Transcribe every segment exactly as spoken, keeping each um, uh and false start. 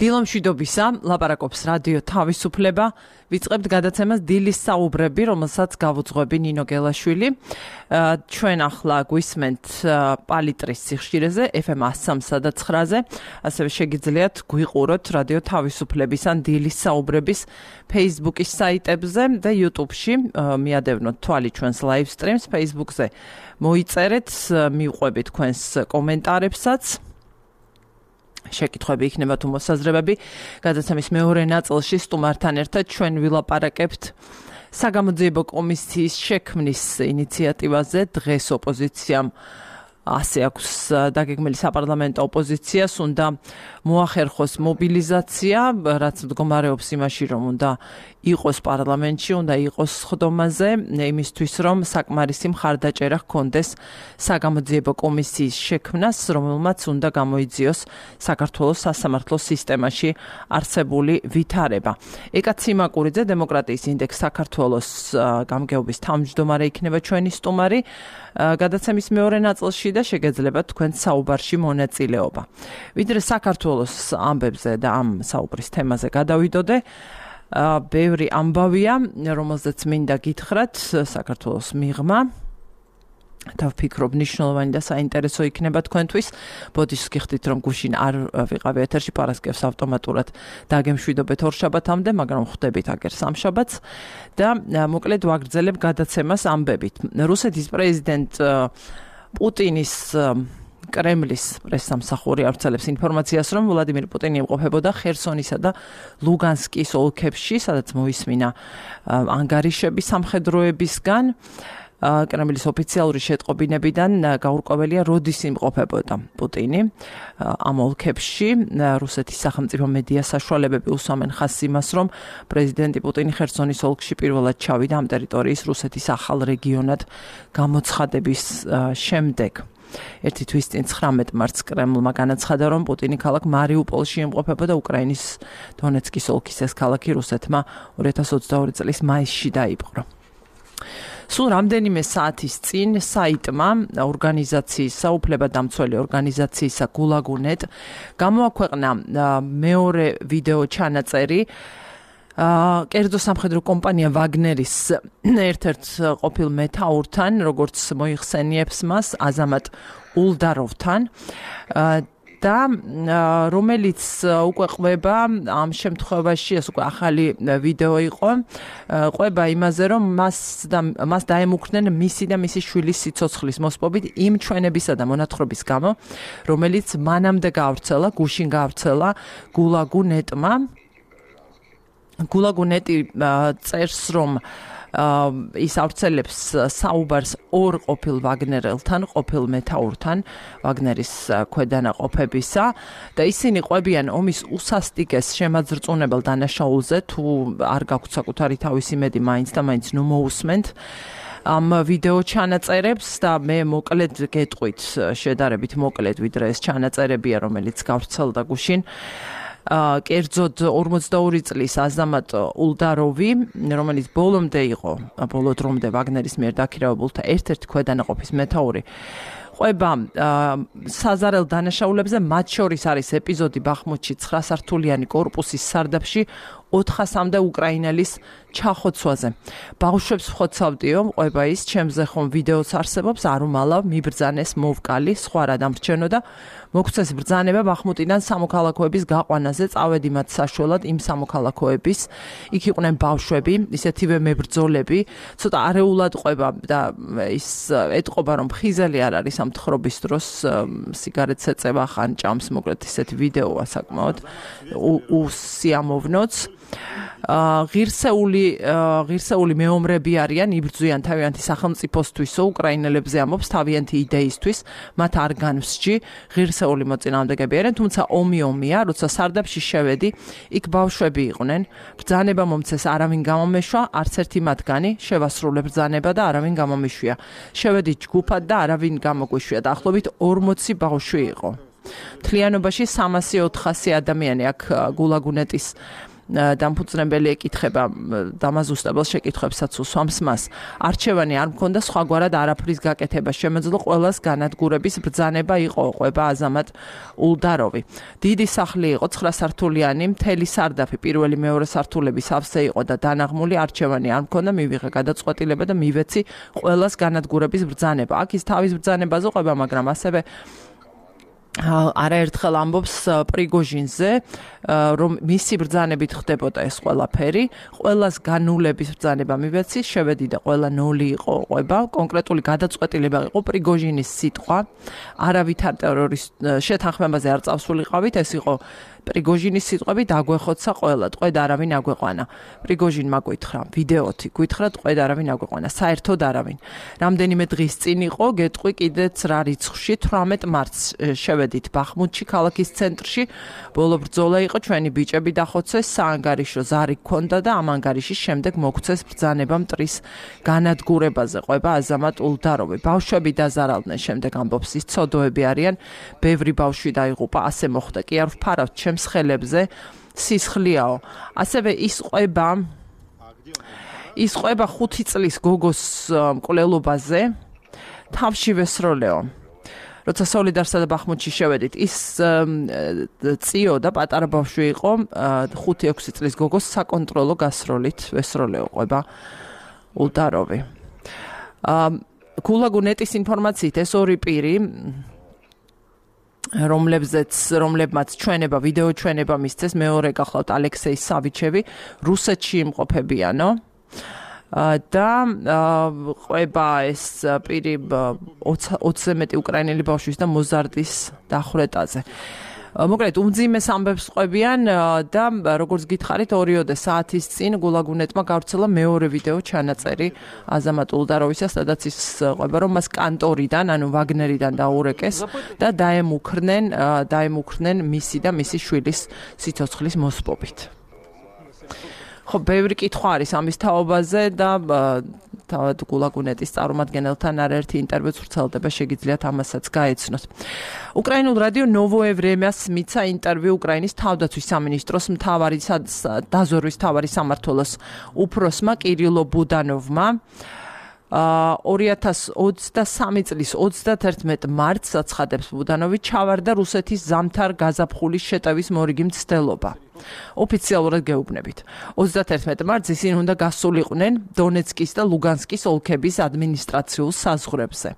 დილომშვიდობისა, ლაპარაკობს რადიო თავისუფლება. ვიწყებთ გადაცემას დილის საუბრები, რომელსაც გავუძღვები ნინო გელაშვილი. ჩვენ ახლა გვისმენთ პალიტრის სიხშირეზე, ეფ ემ one oh three და nine-ზე. ასევე შეგიძლიათ გვიყუროთ რადიო თავისუფლების ან დილის საუბრების Facebook-ის საიტებზე და YouTube-ში. მიადევნოთ თვალი ჩვენს live streams Facebook-ზე. მოიწერეთ, მივყვებით თქვენს კომენტარებსაც. შეკითხვები იქნება თუ მოსაზრებები. გადაცემის მეორე ნაწილში სტუმართან ერთად ჩვენ ვილაპარაკებთ საგამოძიებო კომისიის შექმნის ინიციატივაზე. დღეს ოპოზიციამ ასე აქვს დაგეგმილი საპარლამენტო ოპოზიციას უნდა მოახერხოს მობილიზაცია, რაც მდგომარეობს იმაში, რომ უნდა იყოს პარლამენტში, უნდა იყოს სხდომაზე, იმისთვის რომ საკმარისი მხარდაჭერა ჰქონდეს საგამოძიებო კომისიის შექმნას, რომელმაც უნდა გამოიძიოს საქართველოს სასამართლო სისტემაში არსებული ვითარება. ეკა ციმაკურიძე, დემოკრატიის ინდექს საქართველოს გამგეობის თავმჯდომარე იქნება ჩვენი სტუმარი. გადაცემის მეორე ნაწილში და შეგეძლებათ თქვენ საუბარში მონაწილეობა. ვიდრე საქართველოს ამბებზე და ამ საუბრის თემაზე გადავიდოდე, ბევრი ამბავია, რომელზეც მინდა გითხრათ საქართველოს მიღმა. და ვფიქრობ ნიშნულოვანი და საინტერესო იქნება თქვენთვის. ბოდიშს გიხდით რომ გუშინ არ ვიყავი ეთერში, პარასკევს ავტომატურად დაგემშვიდობეთ ორშაბათამდე, მაგრამ ხვდებით აგერ სამშაბათს და მოკლედ ვაგრძელებ გადაცემას ამბებით. რუსეთის პრეზიდენტ პუტინის კრემლის პრესსამსახური ავრცელებს ინფორმაციას, რომ ვლადიმირ პუტინი იმყოფებოდა ხერსონისა და ლუგანსკის ოლქებში, სადაც მოისმინა ანგარიშები სამხედროებისგან. კრემლის ოფიციალური შეტყობინებიდან გაურკვეველია, როდის იმყოფებოდა პუტინი ამ ოლქებში. რუსეთის სახელმწიფო მედია საშუალებები უსვამენ ხაზს იმას, რომ პრეზიდენტი პუტინი ხერსონის ოლქში პირველად ჩავიდა ამ ტერიტორიის რუსეთის ახალ რეგიონად გამოცხადების შემდეგ. ერთი თვის წინ ცხრამეტ მარტს კრემლმა განაცხადა, რომ პუტინი ქალაქ მარიუპოლში იმყოფებოდა. უკრაინის დონეცკის ოლქის ეს ქალაქი რუსეთმა ორი ათას ოცდაორი წლის მაისში დაიპყრო. სულ რამდენიმე საათის წინ საიტმა ორგანიზაციის საუფლებადამცველი ორგანიზაციისა გულაგუნეტ გამოაქვეყნა მეორე ვიდეო ჩანაწერი კერძო სამხედრო კომპანია ვაგნერის ერთ-ერთ ყოფილ მეთაურთან, როგორც მოიხსენიებს მას, აზამატ ულდაროვთან და რომელიც უკვე ყვება ამ შემთხვევაში, ეს უკვე ახალი ვიდეო იყო, ყვება იმაზე, რომ მას და მას დაემუქრნენ მისი და მისი შვილის სიცოცხლის მოსპობით იმ ჩვენებისა და მონათხრობის გამო, რომელიც მანამდე გაავრცელა, გუშინ გაავრცელა გულაგუნეტმა. გულაგუნეტი წერს, რომ ის ავრცელებს საუბარს ორ ყოფილ ვაგნერელთან, ყოფილ მეთაურთან ვაგნერის ქვედანაყოფებისა და ისინი ყვებიან ომის უსასტიკეს შემაძრწუნებელ დანაშაულზე, თუ არ გაქვთ საკუთარი თავისი მედი, მაინც და მაინც ნუ მოусმენთ ამ ვიდეო ჩანაწერებს და მე მოკლედ გეტყვით, შედარებით მოკლედ, ვიდრე ეს ჩანაწერებია, რომელიც გავრცელდა გუშინ. კერძოდ ორმოცდაორი წლის აზამატ ულდაროვი, რომელიც ბოლომდე იყო, ბოლო დრომდე ვაგნერის მიერ დაქირავებულთა ერთ-ერთი ქვედანაყოფის მეთაური, ყვება საზარელ დანაშაულებზე, მათ შორის არის ეპიზოდი ბახმუთში ცხრა სართულიანი კორპუსის სარდაფში ოთხასამდე უკრაინელის ჩახოცვაზე. ბავშვებს ვხოცავდიო, ყვება ის, ჩემზე ხომ ვიდეოც არსებობს, არ უმალავ, მიბრძანეს, მოვკალი, სხვა რა დამრჩენო და მოგცეს ბრძანება ბახმუტიდან სამოქალაქოების გაყვანაზე, წავედი მათ საშუალად იმ სამოქალაქოების, იქ იყვნენ ბავშვები, ისეთივე მებრძოლები, ცოტა არეულად ყვება და ის ეტყობა, რომ ხიზელი არ არის ამ თხრობის დროს, სიგარეტს ეწევა, ხან ჭამს, მოკლედ ისეთი ვიდეოა საკმაოდ უსიამოვნოც. ღირსეული ღირსეული მეომრები არიან, იბრძვიან თავიანთი სახელმწიფოსთვისო, უკრაინელებზე ამობს თავიანთი იდეისთვის, მათ არ განვსჯი, ღირსეული მოწინააღმდეგეები არიან, თუმცა ომი ომია, როცა სარდაფში შევედი, იქ ბავშვები იყვნენ, ბრძანება მომცეს, არავინ გამომეშვა, არც ერთი მათგანი შევასრულე ბრძანება და არავინ გამომიშვია. შევედი ჯგუფად და არავინ გამოგვიშვია, დაახლოებით ორმოცი ბავშვი იყო. მთლიანობაში სამასი ოთხასი ადამიანი აქ გულაგუნეტის დამფუძნებელი ეკითხება დამაზუსტებელ შეკითხვებსაც უსვამს მას. არჩევანი არ მქონდა სხვაგვარად არაფრის გაკეთება შემეძლო ყველას განადგურების ბრძანება იყო, ყვება აზამატ ულდაროვი. დიდი სახლი იყო ცხრა სართულიანი, მთელი სარდაფი პირველი მეორე სართულების ავსე იყო და დანაღმული არჩევანი არ მქონდა, მივიღე გადაწყვეტილება და მივეცი ყველას განადგურების ბრძანება. აქ ის თავის ბრძანებაზე ყვება, მაგრამ ასევე არაერთხელ ამბობს პრიგოჟინზე, რომ მისი ბრძანებით ხდებოდა ეს ყველაფერი, ყველას განულების ბრძანება მივეცი, შევედი და ყველა ნოლი იყო ყვება, კონკრეტული გადაწყვეტილება იყო პრიგოჟინის სიტყვა, არავითარ ტერორის შეთანხმებაზე არ წავსულიყავით, ეს იყო პრიგოჟინის სიტყვები დაგვეხოცა ყველა, ტყვედ არავინ აგვეყვანა. პრიგოჟინმა გითხრა, ვიდეოთი გითხრა, ტყვედ არავინ აგვეყვანა, საერთოდ არავინ. რამდენიმე დღის წინ იყო, გეტყვი კიდეც რა რიცხვში, თვრამეტ მარტს შევედით ბახმუთში, ქალაქის ცენტრში, ბოლო ბრძოლა იყო, ჩვენი ბიჭები დახოცეს, საანგარიშო ზარი გქონდა და ამ ანგარიშის შემდეგ მოგვცეს ბრძანება მტრის განადგურებაზე, ყვება აზამატ ულდაროვი. ბავშვები დაზარალდნენ, შემდეგ ამბობს ის ცოდოები არიან, ბევრი ბავშვი დაიღუპა, ასე მოხდა, კი არ ვფარავთ ჩემს ხელებზე, სისხლიაო. ასევე ის ყვება ის ყვება ხუთი წლის გოგოს მკვლელობაზე, თავში ვესროლეო. როცა სოლიდარსა და ბახმუთში შევედით, ის წიო და პატარა ბავშვი იყო, ხუთი ექვსი წლის გოგოს საკონტროლო გასროლით ვესროლეო, ყვება ულდაროვი. გულაგუნეტის ინფორმაციით ეს ორი პირი, რომლებზეც რომლებმაც ჩვენება, ვიდეო ჩვენება მისცეს, მეორე გახლავთ ალექსეი სავიჩევი, რუსეთში იმყოფებიანო. და ყვება ეს პირი ოცზე მეტი უკრაინელი ბავშვის და მოზარდის დახვრეტაზე. მოკლედ უმძიმეს ამბებს ყვებიან და როგორც გითხარით, ორიოდე საათის წინ გულაგუნეტმა გავრცელა მეორე ვიდეო ჩანაწერი აზამატ ულდაროვისა, სადაც ის ყვება, რომ მას კანტორიდან, ანუ ვაგნერიდან დაურეკეს და დაემუქრნენ, დაემუქრნენ მისი და მისი შვილის სიცოცხლის მოსპობით. ხო, ბევრი კითხვა არის ამის თაობაზე და თავად გულაგუნეტის წარმომადგენელთან არაერთი ინტერვიუც ვრცელდება, შეგიძლიათ ამასაც გაეცნოთ. უკრაინულ რადიო ნოვოე ვრემიას მიცა ინტერვიუ უკრაინის თავდაცვის სამინისტროს მთავარი დაზვერვის მთავარი სამმართველოს უფროსმა კირილო ბუდანოვმა. ორი ათას ოცდასამი წლის ოცდაათერთმეტ მარტს აცხადებს ბუდანოვი, ჩავარდა რუსეთის ზამთარ გაზაფხულის შეტევის მორიგი მცდელობა. ოფიციალურად გეუბნებით. ოცდაათერთმეტ მარტს ისინი უნდა გასულიყვნენ დონეცკის და ლუგანსკის ოლქების ადმინისტრაციულ საზღვრებზე.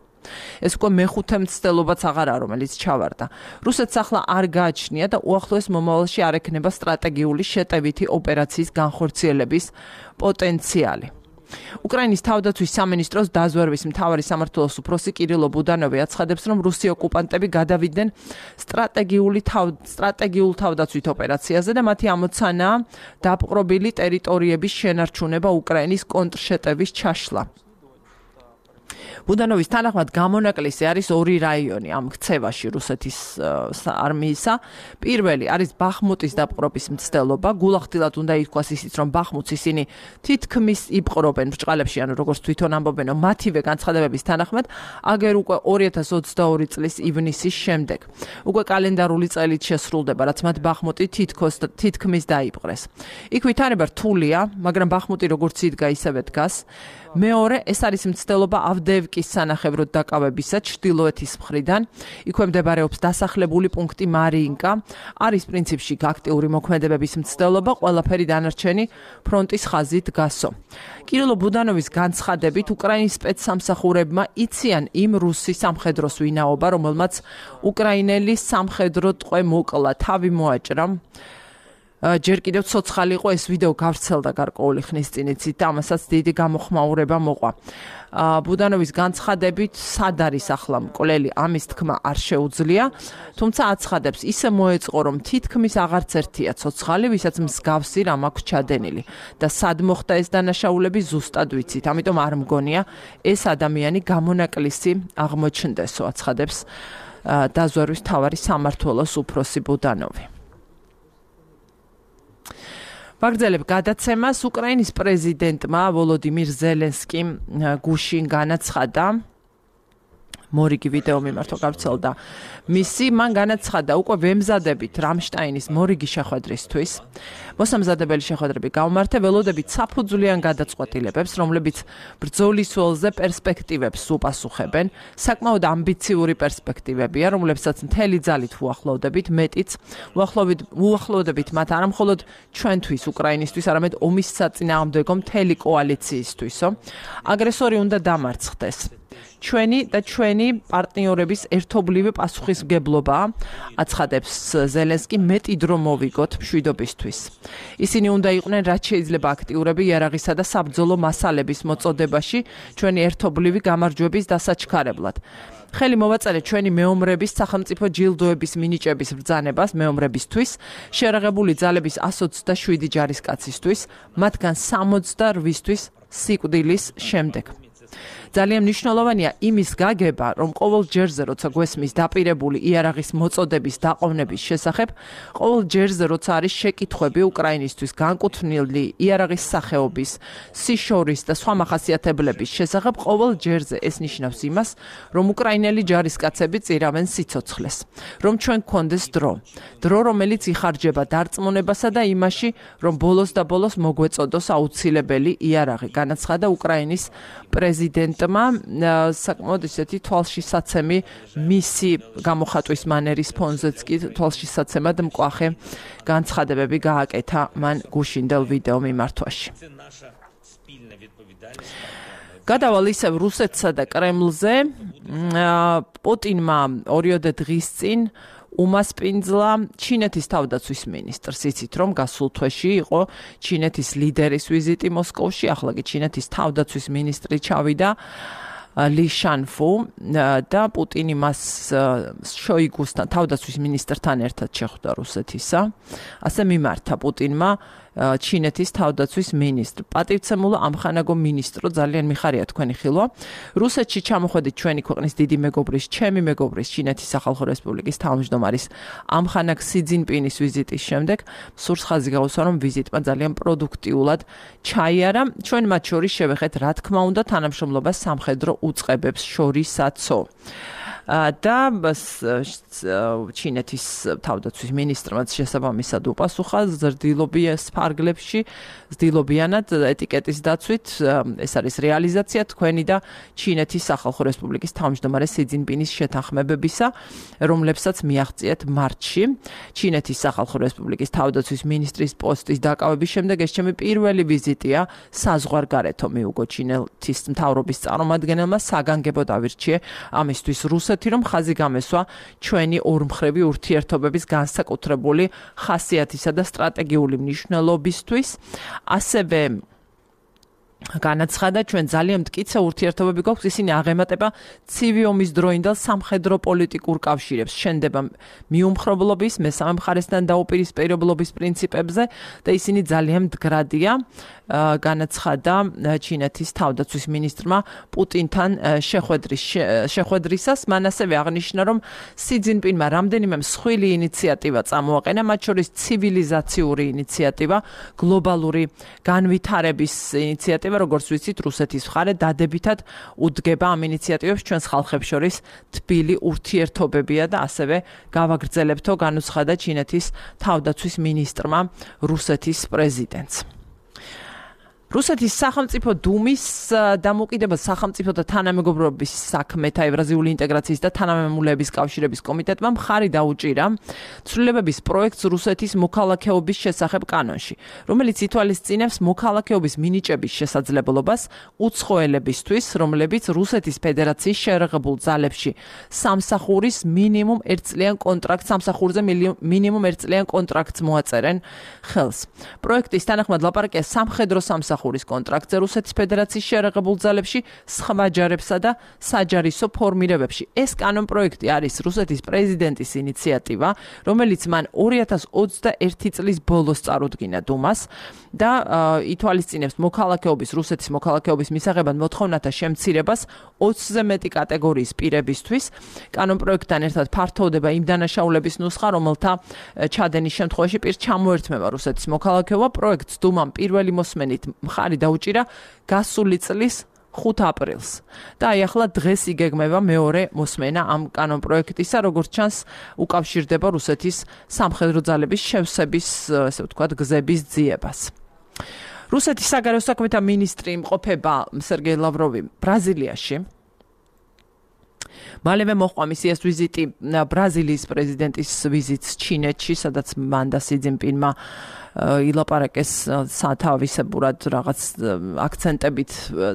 ეს უკვე მეხუთე მცდელობაც აღარაა, რომელიც ჩავარდა. რუსეთს ახლა არ გააჩნია და უახლოეს მომავალში არ ექნება სტრატეგიული შეტევითი ოპერაციის განხორციელების პოტენციალი. უკრაინის თავდაცვის სამინისტროს დაზვერვის მთავარი სამმართველოს უფროსი კირილო ბუდანოვი აცხადებს, რომ რუსი ოკუპანტები გადავიდნენ სტრატეგიული სტრატეგიულ თავდაცვით ოპერაციაზე და მათი ამოცანაა დაპყრობილი ტერიტორიების შენარჩუნება უკრაინის კონტრშეტევის ჩაშლა. ბუდანოვის თანახმად გამონაკლისი არის ორი რაიონი ამ ქცევაში რუსეთის არმიისა. პირველი არის ბახმუტის დაპყრობის მცდელობა. გულახდილად უნდა ითქვას ისიც, რომ ბახმუტს ისინი თითქმის იპყრობენ ბრჭყალებში, ანუ როგორც თვითონ ამბობენ, მათივე განცხადებების თანახმად, აგერ უკვე ორი ათას ოცდაორი წლის ივნისის შემდეგ. უკვე კალენდარული წელით შესრულდება, რაც მათ ბახმუტი თითქოს თითქმის დაიპყრეს. იქ ვითარება რთულია, მაგრამ ბახმუტი როგორც იდგა, ისევე დგას. მეორე, ეს არის მცდელობა ავდეევკის სანახევროდ დაკავებისა ჩრდილოეთის მხრიდან. იქვე მდებარეობს დასახლებული პუნქტი მარიინკა. არის პრინციპში აქტიური მოქმედებების მცდელობა, ყველაფერი დანარჩენი ფრონტის ხაზით დგასო. კირილო ბუდანოვის განცხადებით, უკრაინის სპეცსამსახურებმა იციან იმ რუსი სამხედროს ვინაობა, რომელმაც უკრაინელი სამხედრო ტყვე მოკლა, თავი მოაჭრა. ჯერ კიდევ ცოცხალი იყო, ეს ვიდეო გავრცელდა გარკვეული ხნის წინ, იცით, ამასაც დიდი გამოხმაურება მოყვა. ბუდანოვის განცხადებით, სად არის ახლა მკვლელი, ამის თქმა არ შეუძლია, თუმცა აცხადებს, ისე მოეწყო, რომ თითქმის აღარც ერთია ცოცხალი, ვისაც მსგავსი რამ აქვს ჩადენილი და სად მოხდა ეს დანაშაულები ზუსტად ვიცით, ამიტომ არ მგონია ეს ადამიანი გამონაკლისი აღმოჩნდესო, აცხადებს დაზვერვის მთავარი სამმართველოს უფროსი ბუდანოვი. ვაგრძელებ გადაცემას. უკრაინის პრეზიდენტმა ვოლოდიმირ ზელენსკიმ გუშინ განაცხადა, მორიგი ვიდეო მიმართვა გავრცელდა. მისი მან განაცხადა, უკვე ვემზადებით რამშტაინის მორიგი შეხვედრისთვის. მოსამზადებელი შეხვედრები გავმართა, ველოდებით საფუძვლიან გადაწყვეტილებებს, რომლებიც ბრძოლის ველზე პერსპექტივებს უპასუხებენ. საკმაოდ ამბიციური პერსპექტივებია, რომლებსაც მთელი ძალით უახლოვდებით, მეტიც უახლოვდებით მათ არა მხოლოდ ჩვენთვის, უკრაინისთვის, არამედ ომის საწინააღმდეგო მთელი კოალიციისთვისო. აგრესორი უნდა დამარცხდეს. ჩვენი და ჩვენი პარტნიორების ერთობლივი პასუხისმგებლობა აცხადებს ზელენსკი მეტი დრო მოვიგოთ მშვიდობისთვის. ისინი უნდა იყვნენ რაც შეიძლება აქტიურები იარაღისა და საბრძოლო მასალების მოწოდებაში ჩვენი ერთობლივი გამარჯვების დასაჩქარებლად. ხელი მოვაწერეთ ჩვენი მეომრების სახელმწიფო ჯილდოების მინიჭების ბრძანებას მეომრებისთვის, შეერაღებული ძალების ასი ოცდაშვიდი ჯარისკაცისთვის, მათგან სამოცდაოთხისთვის სიკვდილის შემდეგ. ძალიან მნიშვნელოვანია იმის გაგება, რომ ყოველ ჯერზე, როცა გვესმის დაპირებული იარაღის მოწოდების დაყოვნების შესახებ, ყოველ ჯერზე, როცა არის შეკითხვები უკრაინისთვის განკუთვნილი იარაღის სახეობის, სიშორის და სხვა მახასიათებლების შესახებ, ყოველ ჯერზე ეს ნიშნავს იმას, რომ უკრაინელი ჯარისკაცები წირავენ სიცოცხლეს, რომ ჩვენ გქონდეს დრო, დრო, რომელიც იხარჯება დარწმუნებასა და იმაში, რომ ბოლოს და ბოლოს მოგვეწოდოს აუცილებელი იარაღი, განაცხადა უკრაინის პრეზიდენტმა საკმაოდ ისეთი თვალშისაცემი მისი გამოხატვის მანერის ფონზეც კი თვალშისაცემად მკვახე განცხადებები გააკეთა მან გუშინდელ ვიდეო მიმართვაში. გადავალ ისევ რუსეთსა და კრემლზე. პუტინმა ორიოდე დღის წინ უმასპინძლა ჩინეთის თავდაცვის მინისტრს. იცით რომ გასულ თვეში იყო ჩინეთის ლიდერის ვიზიტი მოსკოვში, ახლა კი ჩინეთის თავდაცვის მინისტრი ჩავიდა ალი შანფუ და პუტინი მას შოიგუსთან თავდაცვის მინისტრთან ერთად შეხვდა რუსეთისა. ასე მიმართა პუტინმა ჩინეთის თავდაცვის მინისტრ. პატივცემულო ამხანაგო მინისტრო, ძალიან მიხარია თქვენი ხილვა. რუსეთში ჩამოხვედით ჩვენი ქვეყნის დიდი მეგობრის, ჩემი მეგობრის, ჩინეთის სახალხო რესპუბლიკის თავმჯდომარის ამხანაგ სი ძინპინის ვიზიტის შემდეგ სურს ხაზი გაუსვა, რომ ვიზიტმა ძალიან პროდუქტიულად ჩაიარა. ჩვენ მათ შორის შევეხეთ, რა თქმა უნდა, თანამშრომლობას სამხედრო უწყებებს შორისაცო. და ჩინეთის თავდაცვის მინისტრმაც შესაბამისად უპასუხა ზრდილობიას ფარგლებში, ზრდილობიანად ეტიკეტის დაცვით, ეს არის რეალიზაცია თქვენი და ჩინეთის სახალხო რესპუბლიკის თავმჯდომარე სი ძინპინის შეთანხმებებისა, რომლებსაც მიაღწიეთ მარტში. ჩინეთის სახალხო რესპუბლიკის თავდაცვის მინისტრის პოსტის დაკავების შემდეგ ეს ჩემი პირველი ვიზიტია საზღვარგარეთო, მიუგო ჩინეთის მთავრობის წარმომადგენელმა საგანგებო დავირჩიე ამისთვის რუსეთს რომ ხაზი გამესვა ჩვენი ორმხრივი ურთიერთობების განსაკუთრებული ხასიათისა და სტრატეგიული მნიშვნელობისთვის. ასევე განაცხადა, ჩვენ ძალიან მტკიცე ურთიერთობები გვაქვს, ისინი აღემატება ცივი ომის დროინდელ სამხედრო პოლიტიკურ კავშირებს, შენდება მიუმხრობლობის, მესამე მხარესთან დაუპირისპირებლობის პრინციპებზე და ისინი ძალიან მდგრადია. განაცხადა ჩინეთის თავდაცვის მინისტრმა პუტინთან შეხვედრის შეხვედრისას. მან ასევე აღნიშნა, რომ სი ძინპინმა რამდენიმე მსხვილი ინიციატივა წამოაყენა, მათ შორის ცივილიზაციური ინიციატივა, გლობალური განვითარების ინიციატივა, როგორც ვიცით, რუსეთის მხარე დადებითად უდგება ამ ინიციატივებს ჩვენს ხალხებს შორის თბილი ურთიერთობებია და ასევე გავაგრძელებთო, განუცხადა ჩინეთის თავდაცვის მინისტრმა რუსეთის პრეზიდენტს. რუსეთის სახელმწიფო დუმის დამოუკიდებელ სახელმწიფო და თანამეგობრობის საქმეთა ევრაზიული ინტეგრაციის და თანამემამულეების კავშირების კომიტეტმა მხარი დაუჭირა ცვლილებების პროექტს რუსეთის მოქალაქეობის შესახებ კანონში, რომელიც ითვალისწინებს მოქალაქეობის მინიჭების შესაძლებლობას უცხოელებისთვის, რომლებიც რუსეთის ფედერაციის შეერაღებულ ძალებში სამსახურის მინიმუმ ერთწლიან კონტრაქტს სამსახურზე მინიმუმ ერთწლიან კონტრაქტს მოაწერენ ხელს. პროექტის თანახმად ლაპარაკია სამხედრო სამსახურის კონტრაქტზე რუსეთის ფედერაციის შეერაღებულ ძალებში სხვა ჯარებსა და საჯარისო ფორმირებებში. ეს კანონპროექტი არის რუსეთის პრეზიდენტის ინიციატივა, რომელიც მან ორი ათას ოცდაერთი წლის ბოლოს წარუდგინა დუმას და ითვალისწინებს მოქალაქეობის რუსეთის მოქალაქეობის მისაღებად მოთხოვნათა შემცირებას ოცზე მეტი კატეგორიის პირებისთვის. კანონპროექტთან ერთად ფართოვდება იმ დანაშაულების ნუსხა, რომელთა ჩადენის შემთხვევაში პირს ჩამოერთმევა რუსეთის მოქალაქეობა. პროექტს დუმამ პირველი მოსმენით მხარი დაუჭირა გასული წლის ხუთ აპრილს. და აი ახლა დღეს იგეგმება მეორე მოსმენა ამ კანონპროექტისა, როგორც ჩანს, უკავშირდება რუსეთის სამხედრო ძალების შევსების, ესე ვთქვათ, გზების ძიებას. რუსეთის საგარეო საქმეთა მინისტრი იმყოფება სერგეი ლავროვი ბრაზილიაში. მალევე მოჰყვა მისი ეს ვიზიტი ბრაზილიის პრეზიდენტის ვიზიტს ჩინეთში, სადაც მან და სი ძინპინმა ილაპარაკეს სათავისებურად რაღაც აქცენტებით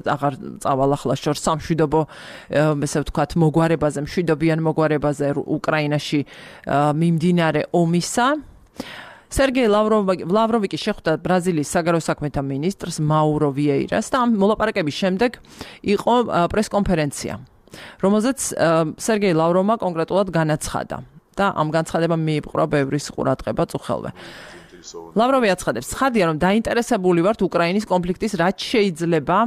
აღარ წავალ ახლა შორს სამშვიდობო, ესე ვთქვათ, მოგვარებაზე, მშვიდობიან მოგვარებაზე უკრაინაში მიმდინარე ომისა. სერგეი ლავროვი კი შეხვდა ბრაზილიის საგარეო საქმეთა მინისტრს მაურო ვიეირას და ამ მოლაპარაკების შემდეგ იყო პრესკონფერენცია, რომელზეც სერგეი ლავროვმა კონკრეტულად განაცხადა და ამ განცხადებამ მიიპყრო ბევრის ყურადღება წუხელვე. ლავროვი აცხადებს, ცხადია, რომ დაინტერესებული ვართ უკრაინის კონფლიქტის რაც შეიძლება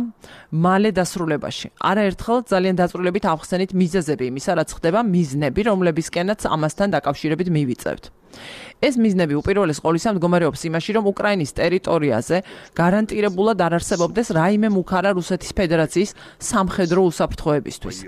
მალე დასრულებაში. არაერთხელ ძალიან დაწვრილებით ავხსენით მიზეზები იმისა, რაც ხდება, მიზნები, რომლებისკენაც ამასთან დაკავშირებით მივიწევთ. ეს მიზნები უპირველეს ყოვლისა მდგომარეობს იმაში, რომ უკრაინის ტერიტორიაზე გარანტირებულად არ არსებობდეს რაიმე მუქარა რუსეთის ფედერაციის სამხედრო უსაფრთხოებისთვის.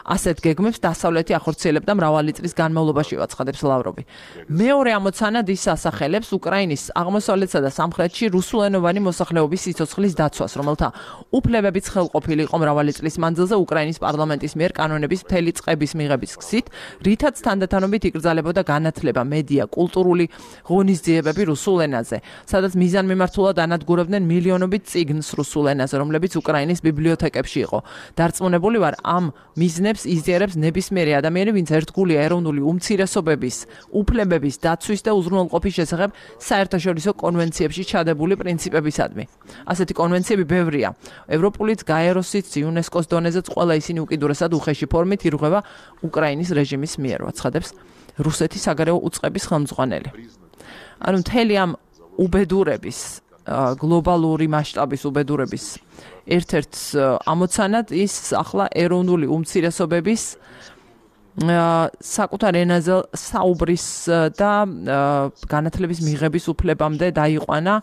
ასეთ გეგმებს დასავლეთი ახორციელებდა მრავალი წლის განმავლობაში, აცხადებს ლავროვი. მეორე ამოცანად ის ასახელებს უკრაინის აღმოსავლეთსა და სამხრეთში რუსულენოვანი მოსახლეობის სიცოცხლის დაცვას, რომელთა უფლებებიც ხელყოფილი იყო მრავალი წლის მანძილზე უკრაინის პარლამენტის მიერ კანონების მთელი წყების მიღების გზით, რითაც თანდათანობით იკრძალებოდა განათლება, მედია, კულტურული ღონისძიებები რუსულ ენაზე, სადაც მიზანმიმართულად ანადგურებდნენ მილიონობით წიგნს რუსულ ენაზე, რომლებიც უკრაინის ბიბლიოთეკებში იყო. დარწმუნებული ვარ, ამ მიზნებს იზიარებს ნებისმიერი ადამიანი, ვინც ერთგულია ეროვნული უმცირესობების, უფლებების დაცვის და უზრუნველყოფის შესახებ საერთაშორისო კონვენციებში ჩადებული პრინციპებისადმი. ასეთი კონვენციები ბევრია. ევროპულიც, გაეროსიც, იუნესკოს დონეზეც ყველა ისინი უკიდურესად უხეში ფორმით ირღვევა უკრაინის რეჟიმის მიერ, აცხადებს რუსეთის საგარეო უწყების ხელმძღვანელი. ანუ მთელი ამ უბედურების, გლობალური მასშტაბის უბედურების ერთ-ერთ ამოცანად ის ახლა ეროვნული უმცირესობების საკუთარ ენაზე საუბრის და განათლების მიღების უფლებამდე დაიყვანა,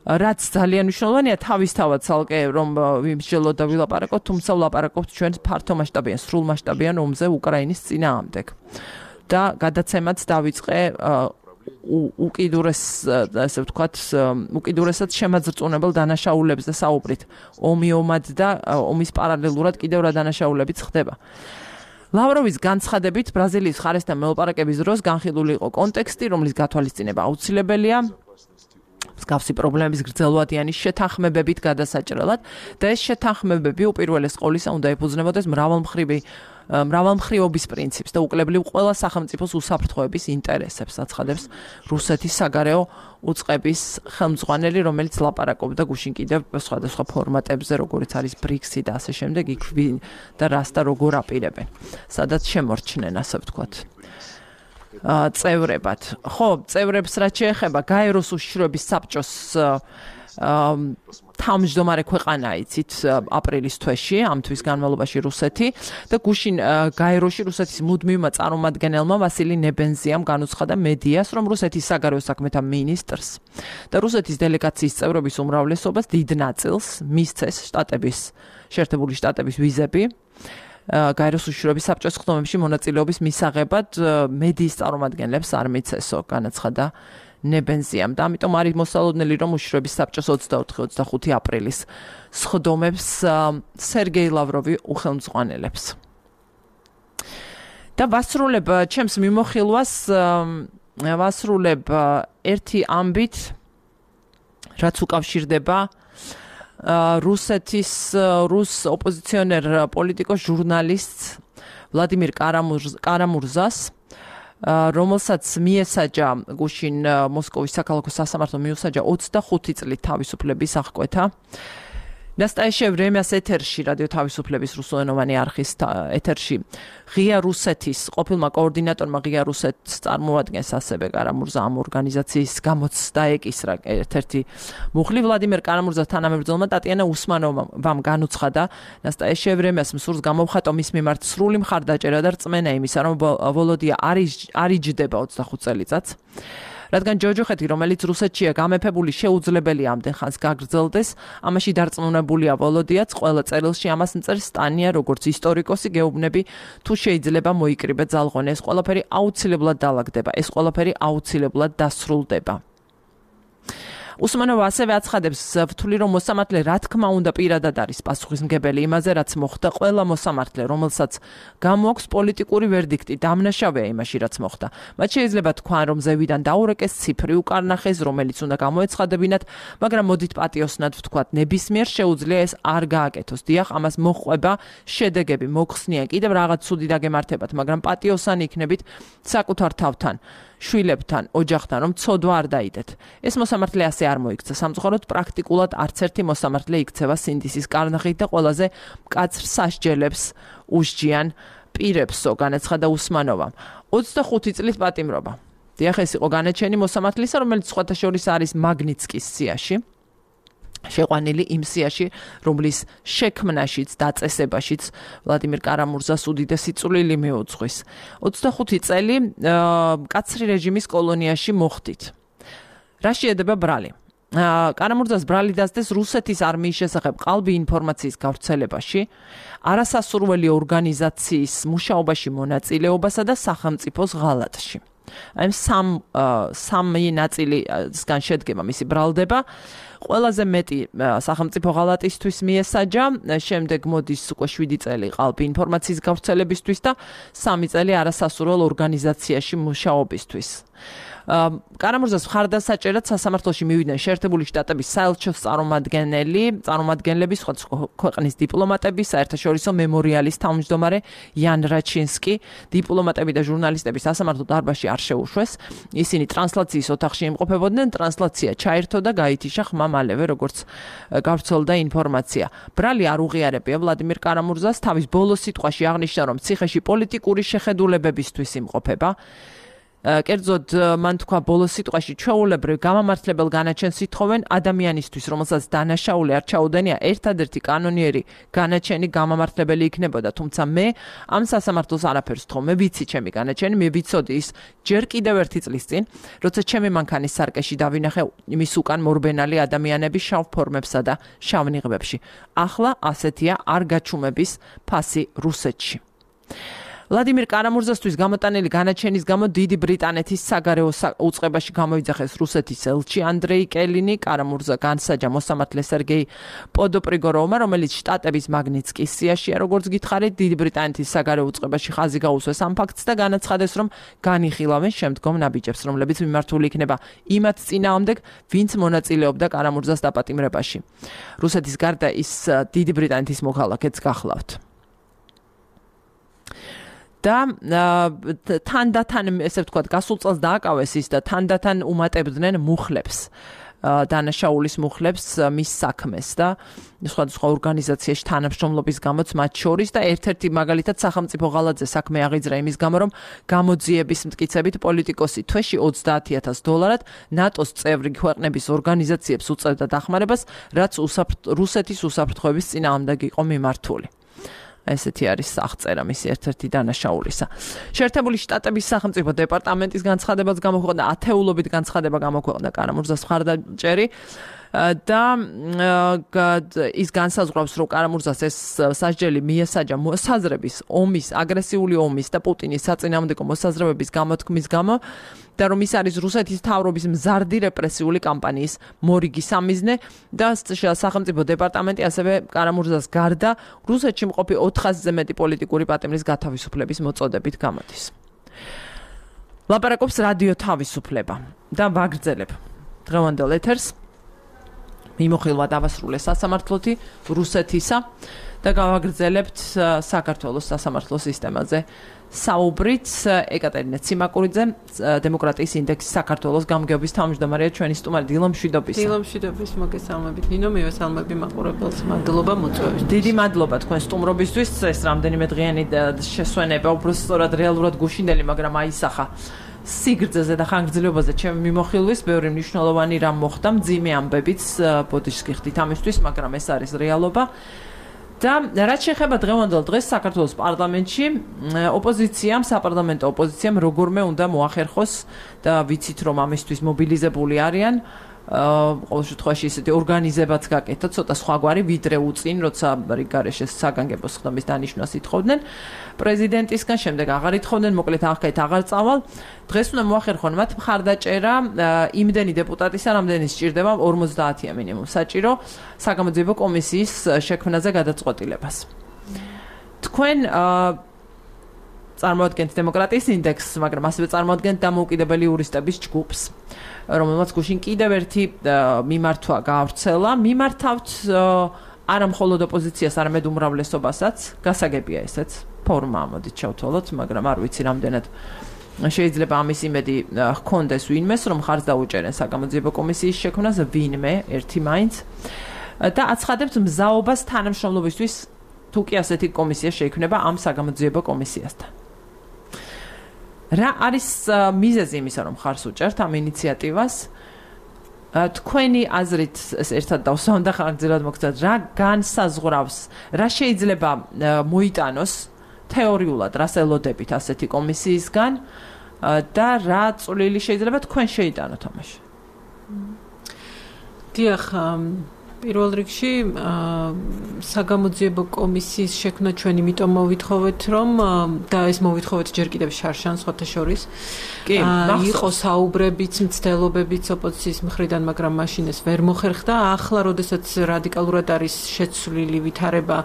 რაც ძალიან მნიშვნელოვანია თავისთავად ცალკე რომ ვიმსჯელოთ და ვილაპარაკოთ, თუმცა ვლაპარაკობთ ჩვენ ფართომასშტაბიან, სრულმასშტაბიან ომზე უკრაინის წინააღმდეგ. და გადაცემაც დავიწყე უკიდურეს, ასე ვთქვათ, უკიდურესად შემაძრწუნებელ დანაშაულებებზე საუბრით. ომი ომად და ომის პარალელურად კიდევ რა დანაშაულებიც ხდება. ლავროვის განცხადებით ბრაზილიის მხარესთან მოლაპარაკების დროს განხილული იყო კონტექსტი, რომლის გათვალისწინება აუცილებელია მსგავსი პრობლემების გრძელვადიანი შეთანხმებებით გადასაჭრელად და ეს შეთანხმებები უპირველეს ყოვლისა უნდა ეფუძნებოდეს მრავალმხრივი მრავალმხრივობის პრინციპს და უკლებლივ ყველა სახელმწიფოს უსაფრთხოების ინტერესებს, აცხადებს რუსეთის საგარეო უწყების ხელმძღვანელი, რომელიც ლაპარაკობდა გუშინ კიდევ სხვადასხვა ფორმატებზე, როგორიც არის ბრიქსი და ასე შემდეგ, იქ ვინ და რას და როგორ აპირებენ, სადაც შემორჩნენ, ასე ვთქვათ. წევრებად. ხო, წევრებს რაც შეეხება გაეროს უშიშროების საბჭოს თავმჯდომარე ქვეყანა იცით აპრილის თვეში, ამ თვის განმავლობაში რუსეთი და გუშინ გაეროში რუსეთის მუდმივმა წარმომადგენელმა ვასილი ნებენზიამ განუცხადა მედიას, რომ რუსეთის საგარეო საქმეთა მინისტრს და რუსეთის დელეგაციის წევრების უმრავლესობას დიდ ნაწილს მისცეს შტატების, შეერთებული შტატების ვიზები გაეროს უშიშროების საბჭოს ხდომებში მონაწილეობის მისაღებად მედიის წარმომადგენლებს არ მიცესო, განაცხადა ნებენზიამ და ამიტომ არის მოსალოდნელი, რომ უშიშროების საბჭოს ოცდაოთხი ოცდახუთი აპრილის სხდომებს სერგეი ლავროვი უხელმძღვანელებს. და ვასრულებ ჩემს მიმოხილვას, ვასრულებ ერთი ამბით, რაც უკავშირდება რუსეთის რუს ოპოზიციონერ პოლიტიკოს ჟურნალისტს ვლადიმირ კარამურზას, რომელსაც მიესაჯა გუშინ მოსკოვის საქალაქო სასამართლომ მიუსაჯა ოცდახუთი წლით თავისუფლების აღკვეთა. Nastaje vremjas ეთერში რადიო თავისუფლების რუსულენოვანი არხის ეთერში ღია რუსეთის ყოფილმა კოორდინატორმა ღია რუსეთს წარმოადგენს ასევე კარამურზა ამ ორგანიზაციის გამოცდა ეკისრა ერთ-ერთი მუხლი ვლადიმერ კარამურზას თანამებრძოლმა ტატიანა უსმანოვამ განუცხადა Nastaje vremjas მსურს გამოვხატო მის მიმართ სრული მხარდაჭერა და რწმენა იმისა რომ ვოლოდია არ იჯდება ოცდახუთ წელიწადს რადგან ჯოჯოხეთი, რომელიც რუსეთშია გამეფებული, შეუძლებელია ამდენ ხანს გაგრძელდეს, ამაში დარწმუნებულია ვოლოდიაც, ყველა წერილში ამას მწერს სტანია, როგორც ისტორიკოსი, გეუბნები, თუ შეიძლება მოიკრიბე ძალღონი, ეს ყველაფერი აუცილებლად დაალაგდება, ეს ყველაფერი აუცილებლად დასრულდება. უსმანოვა ასევე აცხადებს, ვთვლი რომ მოსამართლე რა თქმა უნდა პირადად არის პასუხისმგებელი იმაზე, რაც მოხდა, ყველა მოსამართლე, რომელსაც გამოაქვს პოლიტიკური ვერდიქტი, დამნაშავეა იმაში, რაც მოხდა. მათ შეიძლება თქვან, რომ ზევიდან დაურეკეს ციფრი უკარნახეს, რომელიც უნდა გამოეცხადებინათ, მაგრამ მოდით პატიოსნად ვთქვათ, ნებისმიერ შეუძლია ეს არ გააკეთოს. დიახ, ამას მოჰყვება შედეგები, მოხსნიან, კიდევ რაღაც ცუდი დაგემართებათ, მაგრამ პატიოსანი იქნებით საკუთარ თავთან. შვილებთან, ოჯახთან, რომ ცოდვა არ დაიდეთ. ეს მოსამართლე ასე არ მოიქცა. სამწუხაროდ პრაქტიკულად არც ერთი მოსამართლე იქცევა სინდისის კარნახით და ყველაზე მკაცრ სასჯელებს უსჯიან პირებსო, განაცხადა უსმანოვამ. ოცდახუთი წლის პატიმრობა. დიახ, ეს იყო განაჩენი მოსამართლისა, რომელიც სხვათა შორის არის მაგნიცკის სიაში. შეყვანილი იმ სიაში, რომლის შექმნაშიც, დაწესებაშიც ვლადიმერ კარამურზას უდიდესი წვლილი მიუძღვის. ოცდახუთი წელი მკაცრი რეჟიმის კოლონიაში მოხდით. რა შეედება ბრალი? კარამურზას ბრალი დასდეს რუსეთის არმიის შესახებ ყალბი ინფორმაციის გავრცელებაში, არასასურველი ორგანიზაციის მუშაობაში მონაწილეობასა და სახელმწიფოს ღალატში. აი სამ სამი ნაწილისგან შედგება მისი ბრალდება. ყველაზე მეტი სახელმწიფო ღალატისთვის მიესაჯა, შემდეგ მოდის უკვე შვიდი წელი ყალბი ინფორმაციის გავრცელებისთვის და სამი წელი არასასურველ ორგანიზაციაში მუშაობისთვის. კარამურზას მხარდასაჭერად სასამართლოში მივიდნენ შეერთებული შტატების საელჩოს წარმომადგენელი, წარმომადგენლები, სხვადასხვა ქვეყნის დიპლომატები, საერთაშორისო მემორიალის თავმჯდომარე იან რაჩინსკი, დიპლომატები და ჟურნალისტები სასამართლო დარბაზში არ შეუშვეს. ისინი ტრანსლაციის ოთახში იმყოფებოდნენ, ტრანსლაცია ჩაერთო და გაითიშა ხმა მალევე, როგორც გავრცელდა ინფორმაცია. ბრალი არ უღიარებია ვლადიმერ კარამურზას, თავის ბოლო სიტყვაში აღნიშნა, რომ ციხეში პოლიტიკური შეხედულებებისთვის იმყოფება. კერძოდ მან თქვა ბოლო სიტყვაში ჩვეულებრივ გამამართლებელ განაჩენს ითხოვენ ადამიანისთვის, რომელსაც დანაშაული არ ჩაუდენია, ერთადერთი კანონიერი განაჩენი გამამართლებელი იქნებოდა, თუმცა მე ამ სასამართლოს არაფერს ვთხოვ, მე ვიცი ჩემი განაჩენი, მე ვიცოდი ის ჯერ კიდევ ერთი წლის წინ, როცა ჩემი მანქანის სარკეში დავინახე მის უკან მორბენალი ადამიანები შავ ფორმებსა და შავ ნიღბებში. ახლა ასეთია არ გაჩუმების ფასი რუსეთში. ვლადიმერ კარამურზასთვის გამოტანილი განაჩენის გამო დიდი ბრიტანეთის საგარეო უწყებაში გამოიძახეს რუსეთის ელჩი ანდრეი კელინი. კარამურზა განსაჯა მოსამართლე სერგეი პოდოპრიგოროვმა, რომელიც შტატების მაგნიცკის სიაშია, როგორც გითხარით, დიდი ბრიტანეთის საგარეო უწყებაში ხაზი გაუსვეს ამ ფაქტს და განაცხადეს, რომ განიხილავენ შემდგომ ნაბიჯებს, რომლებიც მიმართული იქნება იმათ წინააღმდეგ, ვინც მონაწილეობდა კარამურზას დაპატიმრებაში. რუსეთის გარდა ის დიდი ბრიტანეთის მოქალაქეც გახლავთ. და თანდათან ესე ვთქვათ, გასულ წელს დააკავეს ის და თანდათან უმატებდნენ მუხლებს, დანაშაულის მუხლებს მის საქმეს და სხვადასხვა ორგანიზაციაში თანამშრომლობის გამოც მათ შორის და ერთ-ერთი მაგალითად სახელმწიფო ღალატზე საქმე აღიძრა იმის გამო, რომ გამოძიების მტკიცებით პოლიტიკოსი თვეში ოცდაათი ათას დოლარად ნატოს წევრი ქვეყნების ორგანიზაციებს უწევდა დახმარებას, რაც რუსეთის უსაფრთხოების წინააღმდეგ იყო მიმართული. ესეთი არის აღწერა მისი ერთ-ერთი დანაშაულისა. შეერთებული შტატების სახელმწიფო დეპარტამენტის განცხადებაც გამოქვეყნდა, ათეულობით განცხადება გამოქვეყნდა კარამურზას მხარდაჭერი და ის განსაზღვრავს, რომ კარამურზას ეს სასჯელი მიესაჯა მოსაზრების ომის, აგრესიული ომის და პუტინის საწინააღმდეგო მოსაზრებების გამოთქმის გამო და რომ ის არის რუსეთის მთავრობის მზარდი რეპრესიული კამპანიის მორიგი სამიზნე და სახელმწიფო დეპარტამენტი ასევე კარამურზას გარდა რუსეთში მყოფი ოთხასზე მეტი პოლიტიკური პატიმრის გათავისუფლების მოწოდებით გამოდის. ლაპარაკობს რადიო თავისუფლება და ვაგრძელებ დღევანდელ ეთერს. მიმოხილვა დავასრულე სასამართლოთი რუსეთისა და გავაგრძელებთ საქართველოს სასამართლო სისტემაზე საუბრით. ეკატერინე ციმაკურიძე, დემოკრატიის ინდექსის საქართველოს გამგეობის თავმჯდომარეა, ჩვენი სტუმარი. დილო მშვიდობის. დილო მშვიდობის, მოგესალმებით. ნინო, მივესალმები მაყურებელს. მადლობა მოწვევისთვის. დიდი მადლობა თქვენ სტუმრობისთვის. ეს რამდენიმე დღიანი შესვენება უბრალოდ რეალურად გუშინდელი, მაგრამ აისახა სიგრძეზე და ხანგრძლივობაზე ჩემი მიმოხილვის, ბევრი მნიშვნელოვანი რამ მოხდა, მძიმე ამბებიც ბოდიშს გიხდით ამისთვის, მაგრამ ეს არის რეალობა. და რაც შეეხება დღევანდელ დღეს საქართველოს პარლამენტში ოპოზიციამ, საპარლამენტო ოპოზიციამ როგორმე უნდა მოახერხოს და ვიცით რომ ამისთვის მობილიზებული არიან ყოველ შემთხვევაში ისეთი ორგანიზებაც გაკეთდა ცოტა სხვაგვარი ვიდრე უწინ როცა რიგარეშე საგანგებო ხდომის დანიშვნას ითხოვდნენ პრეზიდენტისგან შემდეგ აღარ ითხოვდნენ მოკლედ ახლა აღარ წავალ დღეს უნდა მოახერხონ მათ მხარდაჭერა იმდენი დეპუტატისა რამდენი სჭირდება ორმოცდაათია მინიმუმ საჭირო საგამოძიებო კომისიის შექმნაზე გადაწყვეტილებას თქვენ წარმოადგენთ დემოკრატიის ინდექსს მაგრამ ასევე წარმოადგენთ დამოუკიდებელი იურისტების ჯგუფს რომელმაც გუშინ კიდევ ერთი მიმართვა გაავრცელა მიმართავთ არა მხოლოდ ოპოზიციას არამედ უმრავლესობასაც გასაგებია ესეც ფორმა მოდით ჩავთვალოთ მაგრამ არ ვიცი რამდენად შეიძლება ამის იმედი ჰქონდეს ვინმეს რომ ხარს დაუჭერენ საგამოძიებო კომისიის შექმნას ვინმე ერთი მაინც და აცხადებთ მზაობას თანამშრომლობისთვის თუ კი ასეთი კომისია შეიქმნება ამ საგამოძიებო კომისიასთან რა არის მიზეზი იმისა რომ ხარს უჭერთ ამ ინიციატივას თქვენი აზრით ეს ერთად დავსვამ და ხანგრძლივად მოგცეთ რა განსაზღვრავს რა შეიძლება მოიტანოს თეორიულად რას ელოდებით ასეთი კომისიისგან და რა წვლილი შეიძლება თქვენ შეიტანოთ ამაში დიახ პირველ რიგში საგამოძიებო კომისიის შექმნა ჩვენ იმიტომ მოვითხოვეთ რომ და ეს მოვითხოვეთ ჯერ კიდევ შარშან სხვათა შორის კი იყო საუბრებიც მცდელობებიც ოპოზიციის მხრიდან მაგრამ მაშინ ეს ვერ მოხერხდა ახლა როდესაც რადიკალურად არის შეცვლილი ვითარება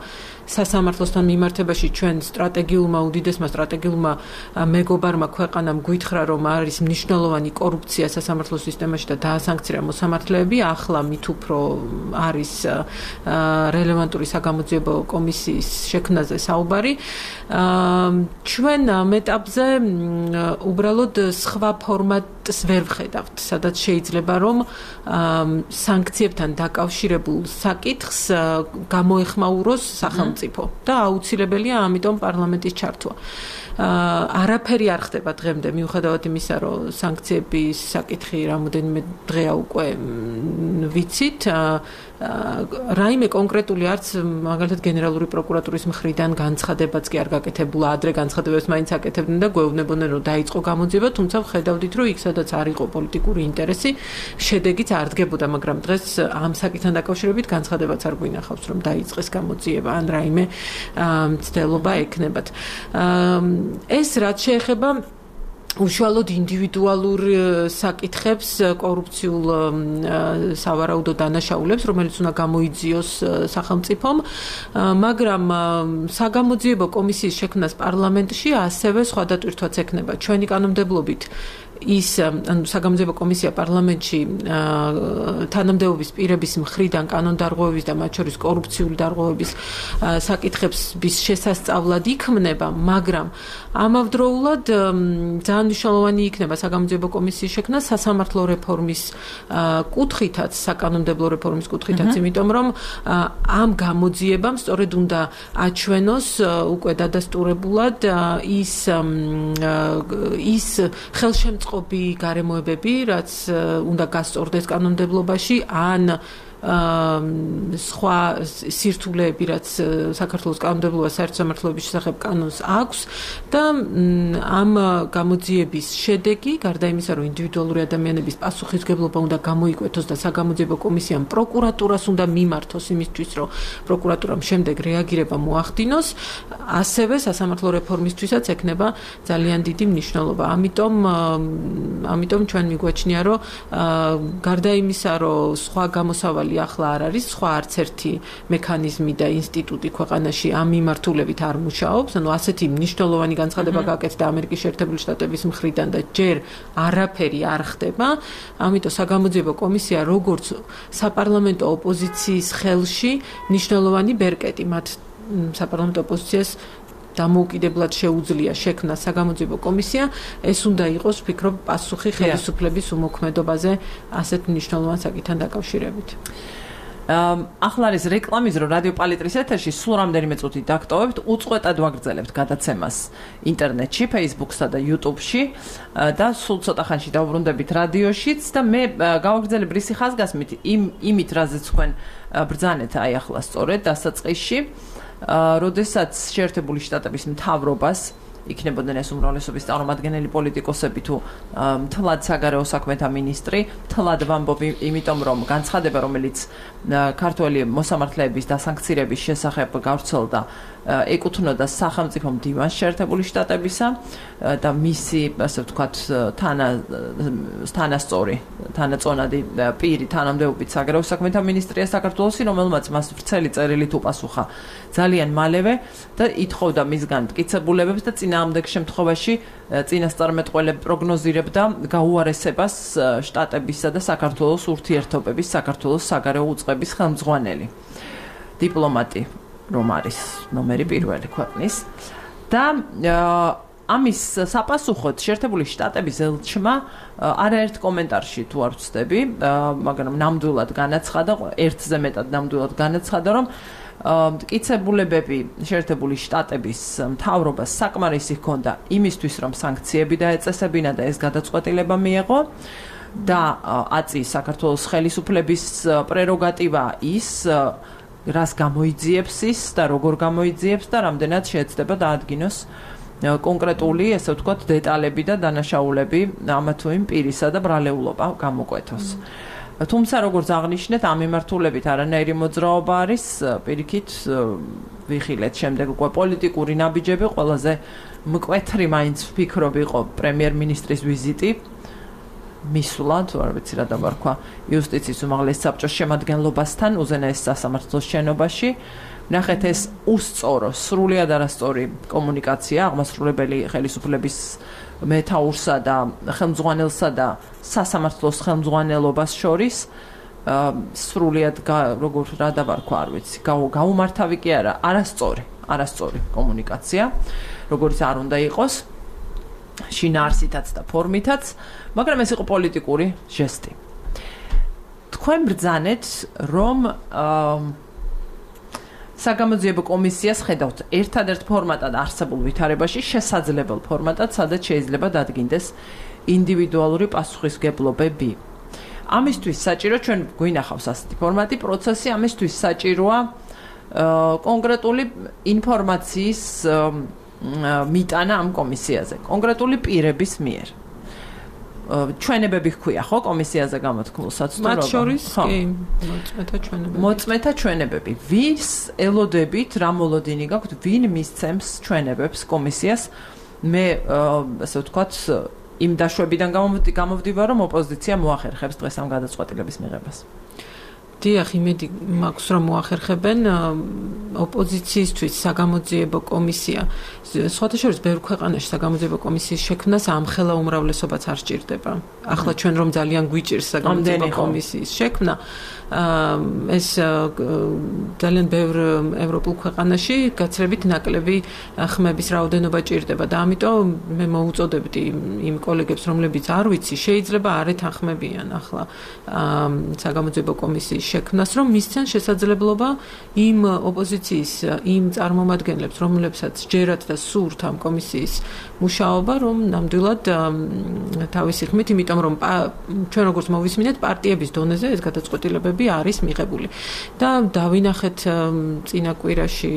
სასამართლოსთან მიმართებაში ჩვენ სტრატეგიულმა უდიდესმა სტრატეგიულმა მეგობარმა ქვეყანამ გვითხრა რომ არის მნიშვნელოვანი კორუფცია სასამართლოს სისტემაში და დაასანქცია მოსამართლეები ახლა მით უფრო არის რელევანტური საგამოძიებო კომისიის შექმნაზე საუბარი ჩვენ ამ ეტაპზე უბრალოდ სხვა ფორმატს ვერ ვხედავთ სადაც შეიძლება რომ სანქციებთან დაკავშირებულ საკითხს გამოეხმაუროს სახელმწიფო და აუცილებელია ამიტომ პარლამენტის ჩართვა არაფერი არ ხდება დღემდე მიუხედავად იმისა რომ სანქციების საკითხი რამოდენიმე დღეა უკვე ვიცით რაიმე კონკრეტული არც მაგალითად გენერალური პროკურატურის მხრიდან განცხადებაც კი არ გაკეთებულა ადრე განცხადებებს მაინც აკეთებდნენ და გვეუბნებოდნენ რომ დაიწყო გამოძიება თუმცა ვხედავდით რომ იქ სადაც არ იყო პოლიტიკური ინტერესი შედეგიც არ დგებოდა მაგრამ დღეს ამ საკითხთან დაკავშირებით განცხადებაც არ გვინახავს რომ დაიწყეს გამოძიება ან რაიმე მცდელობა ექნებათ ეს რაც შეეხება უშუალოდ ინდივიდუალურ საკითხებს კორუფციულ სავარაუდო დანაშაულებს რომელიც უნდა გამოიძიოს სახელმწიფომ მაგრამ საგამოძიებო კომისიის შექმნას პარლამენტში ასევე სხვა დატვირთვაც ექნება ჩვენი კანონმდებლობით ის ანუ საგამოძიებო კომისია პარლამენტში თანამდებობის პირების მხრიდან კანონდარღვევების და მათ შორის კორუფციული დარღვევების საკითხების შესასწავლად იქმნება მაგრამ ამავდროულად ძალიან მნიშვნელოვანი იქნება საგამოძიებო კომისიის შექმნა სასამართლო რეფორმის კუთხითაც საკანონმდებლო რეფორმის კუთხითაც იმიტომ რომ ამ გამოძიებამ სწორედ უნდა აჩვენოს უკვე დადასტურებულად ის ის ხელშემწყობი გარემოებები, რაც უნდა გასწორდეს კანონმდებლობაში, ან სხვა სირთულეები, რაც საქართველოს კანონმდებლობა საერთო სამართლოების შესახებ კანონს აქვს და ამ გამოძიების შედეგი, გარდა იმისა, რომ ინდივიდუალური ადამიანების პასუხისმგებლობა უნდა გამოიკვეთოს და საგამოძიებო კომისიამ პროკურატურას უნდა მიმართოს იმისთვის, რომ პროკურატურამ შემდეგ რეაგირება მოახდინოს, ასევე სასამართლო რეფორმისთვისაც ექნება ძალიან დიდი მნიშვნელობა. ამიტომ ამიტომ ჩვენ მიგვაჩნია, რომ გარდა იმისა, რომ სხვა გამოსავალი ახლა არ არის სხვა არც ერთი მექანიზმი და ინსტიტუტი ქვეყანაში ამ მიმართულებით არ მუშაობს, ანუ ასეთი მნიშვნელოვანი განცხადება გაკეთდა ამერიკის შეერთებული შტატების მხრიდან და ჯერ არაფერი არ ხდება, ამიტომ საგამოძიებო კომისია როგორც საპარლამენტო ოპოზიციის ხელში მნიშვნელოვანი ბერკეტი მათ საპარლამენტო ოპოზიციას დამოუკიდებლად შეუძლია შექმნა საგამოძიებო კომისია, ეს უნდა იყოს, ვფიქრობ, პასუხი ხელისუფლების უმოქმედობაზე ასეთ მნიშვნელოვან საკითხთან დაკავშირებით. ახლა არის რეკლამის დრო რადიო პალიტრის ეთერში სულ რამდენიმე წუთი დაგტოვებთ, უწყვეტად ვაგრძელებთ გადაცემას ინტერნეტში, Facebook-სა და YouTube-ში და სულ ცოტა ხანში დავბრუნდებით რადიოშიც და მე გავაგრძელებ რისი ხაზგასმით იმ იმით რაზეც თქვენ ბრძანეთ აი ახლა სწორედ დასაწყისში, როდესაც შეერთებული შტატების მთავრობას იქნებოდნენ ეს უმრავლესობის წარმომადგენელი პოლიტიკოსები თუ მთლად საგარეო საქმეთა მინისტრი, მთლად ვამბობ იმიტომ რომ განცხადება რომელიც ქართველი მოსამართლეების დასანქცირების შესახებ გავრცელდა ეკუთვნოდა სახელმწიფო მდივანს შეერთებული შტატებისა და მისი ასე ვთქვათ თანა თანასწორი თანაწონადი პირი თანამდებობით საგარეო საქმეთა მინისტრია საქართველოსი, რომელმაც მას ვრცელი წერილით უპასუხა ძალიან მალევე და ითხოვდა მისგან მტკიცებულებებს და წინააღმდეგ შემთხვევაში წინასწარმეტყველები პროგნოზირებდა გაუარესებას შტატებისა და საქართველოს ურთიერთობების საქართველოს საგარეო უწყების ხელმძღვანელი დიპლომატი რომ არის ნომერი პირველი ქვეყნის და ამის საპასუხოდ შეერთებული შტატების ელჩმა არაერთ კომენტარში თუ არ ვცდები, მაგრამ ნამდვილად განაცხადა, ერთზე მეტად ნამდვილად განაცხადა, რომ მტკიცებულებები შეერთებული შტატების მთავრობას საკმარისი ჰქონდა იმისთვის, რომ სანქციები დაეწესებინა და ეს გადაწყვეტილება მიეღო და აწი საქართველოს ხელისუფლების პრეროგატივა ის რას გამოიძიებს ის და როგორ გამოიძიებს და რამდენად შეეცდება დაადგინოს კონკრეტული, ესე ვთქვათ, დეტალები და დანაშაულები ამა თუ იმ პირისა და ბრალეულობა გამოკვეთოს. თუმცა როგორც აღნიშნეთ, ამ მიმართულებით არანაირი მოძრაობა არის, პირიქით ვიხილეთ შემდეგ უკვე პოლიტიკური ნაბიჯები, ყველაზე მკვეთრი მაინც ვფიქრობ იყო პრემიერ-მინისტრის ვიზიტი მისვლა, თუ არ ვიცი რა დავარქვა, იუსტიციის უმაღლეს საბჭოს შემადგენლობასთან უზენაეს სასამართლოს შენობაში. ნახეთ ეს უსწორო, სრულიად არასწორი კომუნიკაცია აღმასრულებელი ხელისუფლების მეთაურსა და ხელმძღვანელსა და სასამართლოს ხელმძღვანელობას შორის სრულიად როგორ რა დავარქვა, არ ვიცი, გაუმართავი კი არა, არასწორი, არასწორი კომუნიკაცია, როგორც არ უნდა იყოს. შინაარსითაც და ფორმითაც, მაგრამ ეს იყო პოლიტიკური ჟესტი. თქვენ ბრძანეთ, რომ საგამოძიებო კომისიას ხედავთ ერთადერთ ფორმატად არსებულ ვითარებაში შესაძლებელ ფორმატად, სადაც შეიძლება დადგინდეს ინდივიდუალური პასუხისმგებლობები. ამისთვის საჭირო ჩვენ გვინახავს ასეთი ფორმატი პროცესი, ამისთვის საჭიროა კონკრეტული ინფორმაციის მიტანა ამ კომისიაზე, კონკრეტული პირების მიერ. ჩვენებები ჰქვია, ხო, კომისიაზე გამოთქმულ საცდურობა? მათ შორის კი, მოწმეთა ჩვენებები. მოწმეთა ჩვენებები. ვის ელოდებით, რა მოლოდინი გაქვთ, ვინ მისცემს ჩვენებებს კომისიას? მე ასე ვთქვათ, იმ დაშვებიდან გამოვდივარ, რომ ოპოზიცია მოახერხებს დღეს ამ გადაწყვეტილების მიღებას. დიახ, იმედი მაქვს, რომ მოახერხებენ ოპოზიციისთვის საგამოძიებო კომისია. სხვათა შორის ბევრ ქვეყანაში საგამოძიებო კომისიის შექმნას ამხელა უმრავლესობაც არ სჭირდება. ახლა ჩვენ რომ ძალიან გვიჭირს საგამოძიებო კომისიის შექმნა, ეს ძალიან ბევრ ევროპულ ქვეყანაში გაცრებით ნაკლები ხმების რაოდენობა ჭირდება და ამიტომ მე მოუწოდებდი იმ კოლეგებს, რომლებიც არ ვიცი, შეიძლება არ ეთანხმებიან ახლა საგამოძიებო კომისიის შექმნას, რომ მისცენ შესაძლებლობა იმ ოპოზიციის, იმ წარმომადგენლებს, რომლებსაც ჯერათ და სურთ ამ კომისიის მუშაობა, რომ ნამდვილად თავისი ხმით, იმიტომ რომ ჩვენ როგორც მოვისმინეთ, პარტიების დონეზე ეს გადაწყვეტილებები არის მიღებული. და დავინახეთ წინა კვირაში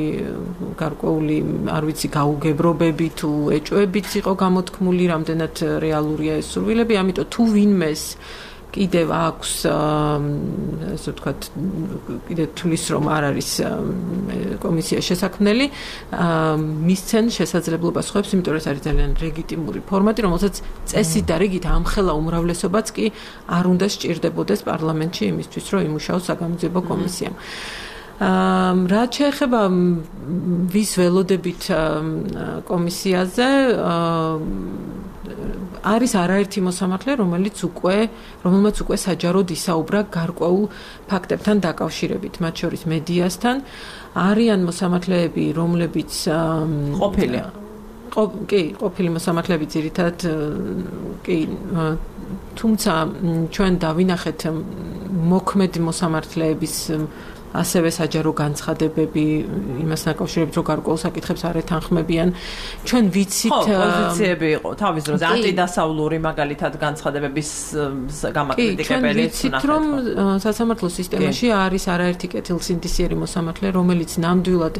გარკვეული, არ ვიცი, გაუგებრობები თუ ეჭვებიც იყო გამოთქმული, რამდენად რეალურია ეს სურვილები, ამიტომ თუ ვინმეს კიდევ აქვს, ასე ვთქვათ, კიდევ თulis რომ არ არის კომისია შესაქმნელი, მისცენ შესაძლებლობას ხვებს, იმიტომ რომ ეს არის ძალიან ლეგიტიმური ფორმატი, რომელსაც წესით და რიგით ამხელა უმრავლესობაც კი არ უნდა სჭირდებოდეს პარლამენტში იმისთვის, რომ იმუშაოს საგამოძიებო კომისიამ. რაც შეეხება ვის ველოდებით კომისიაზე, არის არაერთი მოსამართლე, რომელიც უკვე, რომელმაც უკვე საჯაროდ ისაუბრა გარკვეულ ფაქტებთან დაკავშირებით, მათ შორის მედიასთან. არიან მოსამართლეები, რომლებიც ყოფილი კი, ყოფილი მოსამართლეები ძირითადად კი, თუმცა ჩვენ დავინახეთ მოქმედი მოსამართლეების ასევე საჯარო განცხადებები იმასთან დაკავშირებით, რომ გარკვეულ საკითხებს არ ეთანხმებიან. ჩვენ ვიცით პოზიციები იყო თავის დროზე ანტიდასავლური მაგალითად განცხადებების გამაკრიტიკებელი. ჩვენ ვიცით, რომ სასამართლო სისტემაში არის არაერთი კეთილსინდისიერი მოსამართლე, რომელიც ნამდვილად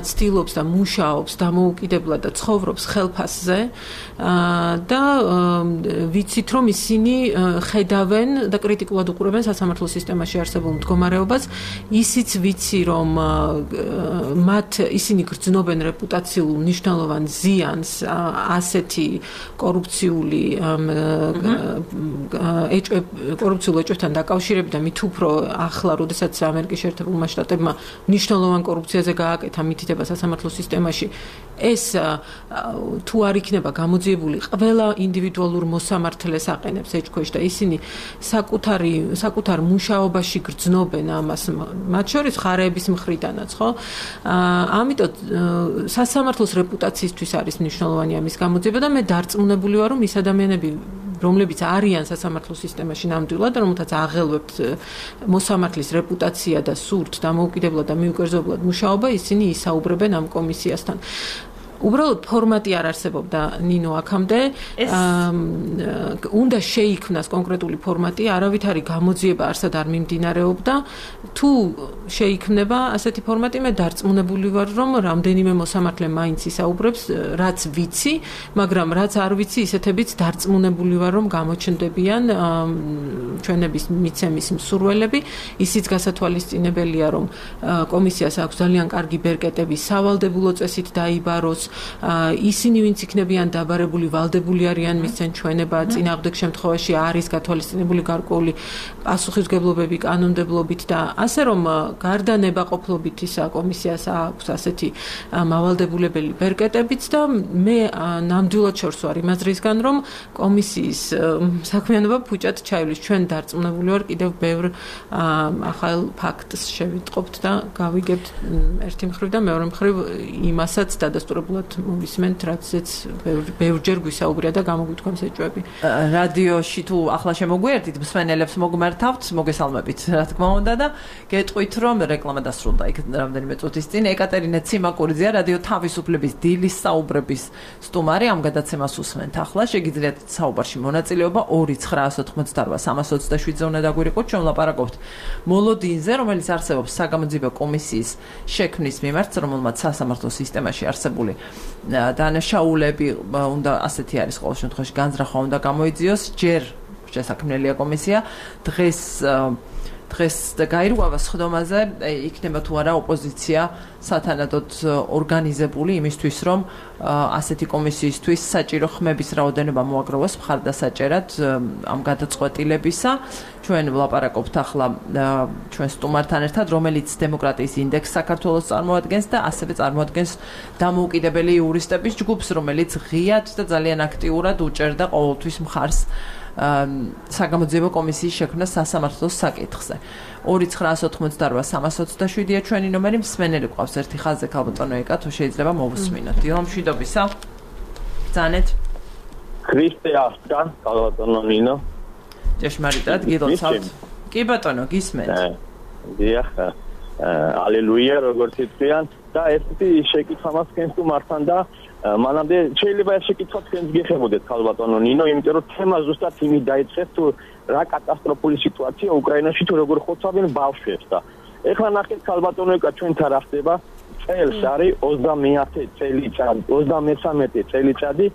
ცდილობს და მუშაობს დამოუკიდებლად და ცხოვრობს ხელფასზე და ვიცით, რომ ისინი ხედავენ და კრიტიკულად უყურებენ სასამართლო სისტემაში არსებულ მდგომარეობას. ისიც ვიცი, რომ მათ ისინი გრძნობენ რეპუტაციულ მნიშვნელოვან ზიანს ასეთი კორუფციული კორუფციულ ეჭვებთან დაკავშირებით და მით უფრო ახლა, როდესაც ამერიკის შეერთებულმა შტატებმა მნიშვნელოვან კორუფციაზე გააკეთა მითითება სასამართლო სისტემაში, ეს თუ არ იქნება გამოძიებული, ყველა ინდივიდუალურ მოსამართლეს აყენებს ეჭქვეშ და ისინი საკუთარი საკუთარ მუშაობაში გრძნობენ ამას, მათ შორის ხარეების მხრიდანაც, ხო? ამიტომ სასამართლოს რეპუტაციისთვის არის მნიშვნელოვანი ამის გამოძიება და მე დარწმუნებული ვარ, რომ ის ადამიანები, რომლებიც არიან სასამართლო სისტემაში ნამდვილად, რომელთაც აღელვებთ მოსამართლის რეპუტაცია და სურთ დამოუკიდებლად და მიუკერძებლად მუშაობა, ისინი ისაუბრებენ ამ კომისიასთან. უბრალოდ ფორმატი არ არსებობდა ნინო აქამდე უნდა შეიქმნას კონკრეტული ფორმატი, არავითარი გამოძიება არსად არ მიმდინარეობდა. თუ შეიქმნება ასეთი ფორმატი, მე დარწმუნებული ვარ, რომ რამდენიმე მოსამართლე მაინც ისაუბრებს, რაც ვიცი, მაგრამ რაც არ ვიცი, ისეთებიც დარწმუნებული ვარ, რომ გამოჩნდებიან ჩვენების მიცემის მსურველები. ისიც გასათვალისწინებელია, რომ კომისიას აქვს ძალიან კარგი ბერკეტები სავალდებულო წესით დაიბაროს. ისინი ვინც იქნებიან დაბარებული, ვალდებული არიან მისცენ ჩვენება, წინააღმდეგ შემთხვევაში არის გათვალისწინებული გარკვეული პასუხისმგებლობები კანონმდებლობით და ასე რომ გარდა ნებაყოფლობით ისა კომისიას აქვს ასეთი მავალდებულებელი ბერკეტებიც და მე ნამდვილად შორს ვარ იმ აზრისგან, რომ კომისიის საქმიანობა ფუჭად ჩაივლის. ჩვენ დარწმუნებული ვარ კიდევ ბევრ ახალ ფაქტს შევიტყობთ და გავიგებთ ერთი მხრივ და მეორე მხრივ იმასაც დადასტურებულად მოვისმენთ, რაცაც ბევრჯერ გვისაუბრია და გამოგვითქვამს ეჭვები. რადიოში თუ ახლა შემოგვიერთით, მსმენელებს მოგმართავთ, მოგესალმებით, რა თქმა უნდა და გეტყვით, რომ რეკლამა დასრულდა იქ რამდენიმე წუთის წინ. ეკატერინე ციმაკურიძეა, რადიო თავისუფლების დილის საუბრების სტუმარი, ამ გადაცემას უსმენთ ახლა. შეგიძლიათ საუბარში მონაწილეობა ორი ცხრაასი ოცდაოთხ სამას ოცდაშვიდზე უნდა დაგვირიყოთ. ჩვენ ვლაპარაკობთ მოლოდინზე, რომელიც არსებობს საგამოძიებო კომისიის შექმნის მიმართ, რომელმაც სასამართლო სისტემაში არსებული დანაშაულები უნდა ასეთი არის ყოველ შემთხვევაში განზრახვა უნდა გამოიძიოს. ჯერ შესაქმნელია კომისია, დღეს დღეს გაირღვევა სხდომაზე, იქნება თუ არა ოპოზიცია სათანადოდ ორგანიზებული იმისთვის, რომ ასეთი კომისიისთვის საჭირო ხმების რაოდენობა მოაგროვოს მხარდასაჭერად ამ გადაწყვეტილებისა. ჩვენ ვლაპარაკობთ ახლა ჩვენ სტუმართან ერთად, რომელიც დემოკრატიის ინდექსს საქართველოს წარმოადგენს და ასევე წარმოადგენს დამოუკიდებელი იურისტების ჯგუფს, რომელიც ღიად და ძალიან აქტიურად უჭერდა ყოველთვის მხარს საგამოძიებო კომისიის შექმნას სასამართლოს საკითხზე. ორი ცხრაასი ოცდაოთხ სამას ოცდაშვიდია ჩვენი ნომერი, მსმენელი გვყავს ერთი ხაზზე, ქალბატონო ეკა, თუ შეიძლება მოვუსმინოთ. დილა მშვიდობისა. ბრძანეთ. ქრისტე ახტა, ქალბატონო ნინო. ჭეშმარიტად გილოცავთ. კი ბატონო, გისმენთ. დიახ. ალელუია, როგორც იციან და ესეთი შეკითხვა მაქვს თუ მართან და მანამდე შეიძლება ეს შეკითხვა თქვენს გიხებოდეთ ქალბატონო ნინო, იმიტომ რომ თემა ზუსტად იმით დაიწყეს თუ რა კატასტროფული სიტუაცია უკრაინაში თუ როგორ ხოცავენ ბავშვებს და ეხლა ნახეთ ქალბატონო ეკა ჩვენთან რა ხდება წელს არის ოცდამეათე წელიწადი ოცდამესამე წელიწადი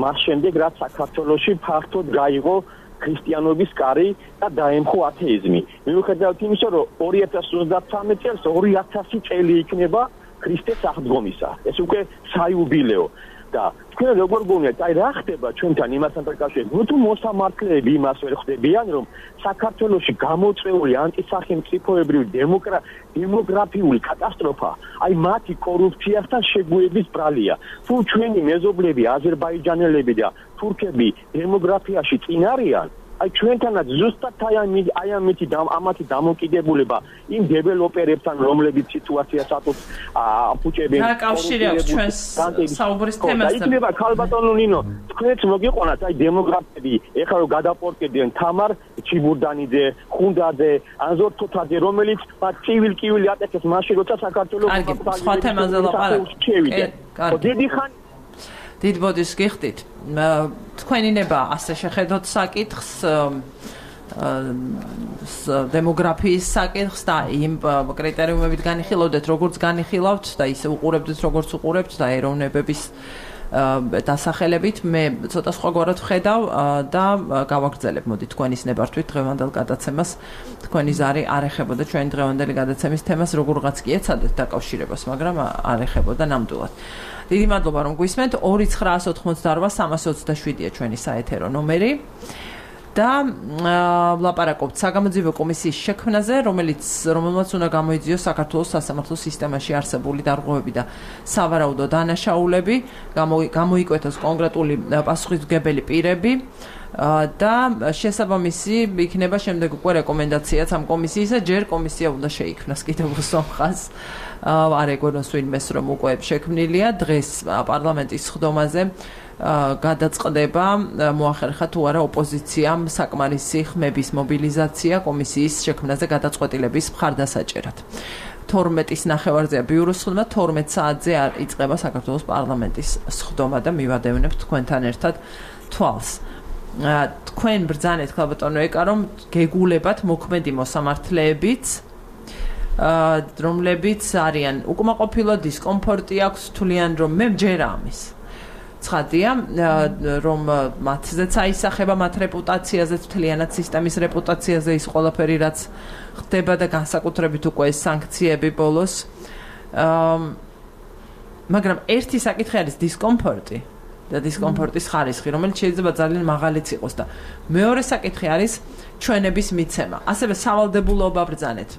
მას შემდეგ რაც საქართველოში ფართოდ გაიღო ქრისტიანობის კარი და დაემხო ათეიზმი. მიუხედავად იმისა, რომ ორი ათას ოცდათვრამეტ წელს ორი ათასი წელი იქნება ქრისტეს აღდგომისა. ეს უკვე საიუბილეო და თქვენ როგორ გონიათ, აი რა ხდება ჩვენთან იმასთან დაკავშირებით? ნუ თუ მოსამართლეები იმას ვერ ხვდებიან, რომ საქართველოში გამოწვეული ანტისახელმწიფოებრივი დემოგრაფიული კატასტროფა, აი მათი კორუფციასთან შეგუების ბრალია. თუ ჩვენი მეზობლები, აზერბაიჯანელები და თურქები დემოგრაფიაში წინ არიან, აი ჩვენთანაც ზუსტად აი აი ამითი ამათი დამოკიდებულება იმ დეველოპერებთან რომლებიც სიტუაციას ატყობს აფუჭებენ რა კავშირი აქვს ჩვენს საუბრის თემასთან იქნება ქალბატონო ნინო თქვენც მოგიყვანათ აი დემოგრაფები ეხლა რომ გადაპორტკებიან თამარ ჩიბურდანიძე ხუნდაძე ანზორ თოთაძე რომელიც ცივილ-კივილი ატეხეს მაშინ როცა საქართველოს სხვა თემაზე ლაპარაკობთ დიდი ხანი დიდ ბოდის გიხდით თქვენი ნება ასე შეხედოთ საკითხს დემოგრაფიის საკითხს და იმ კრიტერიუმებით განიხილავდეთ როგორც განიხილავთ და ისე უყურებდით როგორც უყურებთ და ეროვნებების დასახელებით მე ცოტა სხვაგვარად ვხედავ და გავაგრძელებ მოდი თქვენის ნებართვით დღევანდელ გადაცემას თქვენი ზარი არ ეხებოდა ჩვენი დღევანდელი გადაცემის თემას როგორღაც კი ეცადეთ დაკავშირებას მაგრამ არ ეხებოდა ნამდვილად დიდი მადლობა რომ გვისმენთ ორი ცხრაას ოთხმოცდაორვა სამას ოცდაშვიდია ჩვენი საეთერო ნომერი და ვლაპარაკობთ საგამოძიებო კომისიის შექმნაზე რომელიც რომელმაც უნდა გამოიძიოს საქართველოს სასამართლო სისტემაში არსებული დარღვევები და სავარაუდო დანაშაულები გამოიკვეთოს კონკრეტული პასუხისმგებელი პირები და შესაბამისი იქნება შემდეგ უკვე რეკომენდაციაც ამ კომისიისა ჯერ კომისია უნდა შეიქმნას კიდევ უსამხას არ ეგონოს ვინმეს რომ უკვე შექმნილია დღეს პარლამენტის სხდომაზე გადაწყდება მოახერხა თუ არა ოპოზიციამ საკმარისი ხმების მობილიზაცია კომისიის შექმნაზე გადაწყვეტილების მხარდასაჭერად თორმეტის ნახევარზეა ბიუროს სხდომა თორმეტ საათზე იწყება საქართველოს პარლამენტის სხდომა და მივადევნებთ თქვენთან ერთად თვალს თქვენ ბრძანეთ ქალბატონო ეკა რომ გეგულებათ მოქმედი მოსამართლეებიც რომლებიც არიან უკმაყოფილო დისკომფორტი აქვს თვლიან რომ მე მჯერა ამის ცხადია რომ მათზეც აისახება მათ რეპუტაციაზე თლიანად სისტემის რეპუტაციაზე ის ყველაფერი რაც ხდება და განსაკუთრებით უკვე ეს სანქციები ბოლოს მაგრამ ერთი საკითხი არის დისკომფორტი და დისკომფორტის ხარისხი რომელიც შეიძლება ძალიან მაღალიც იყოს და მეორე საკითხი არის ჩვენების მიცემა ასევე სავალდებულოობა ბრძანეთ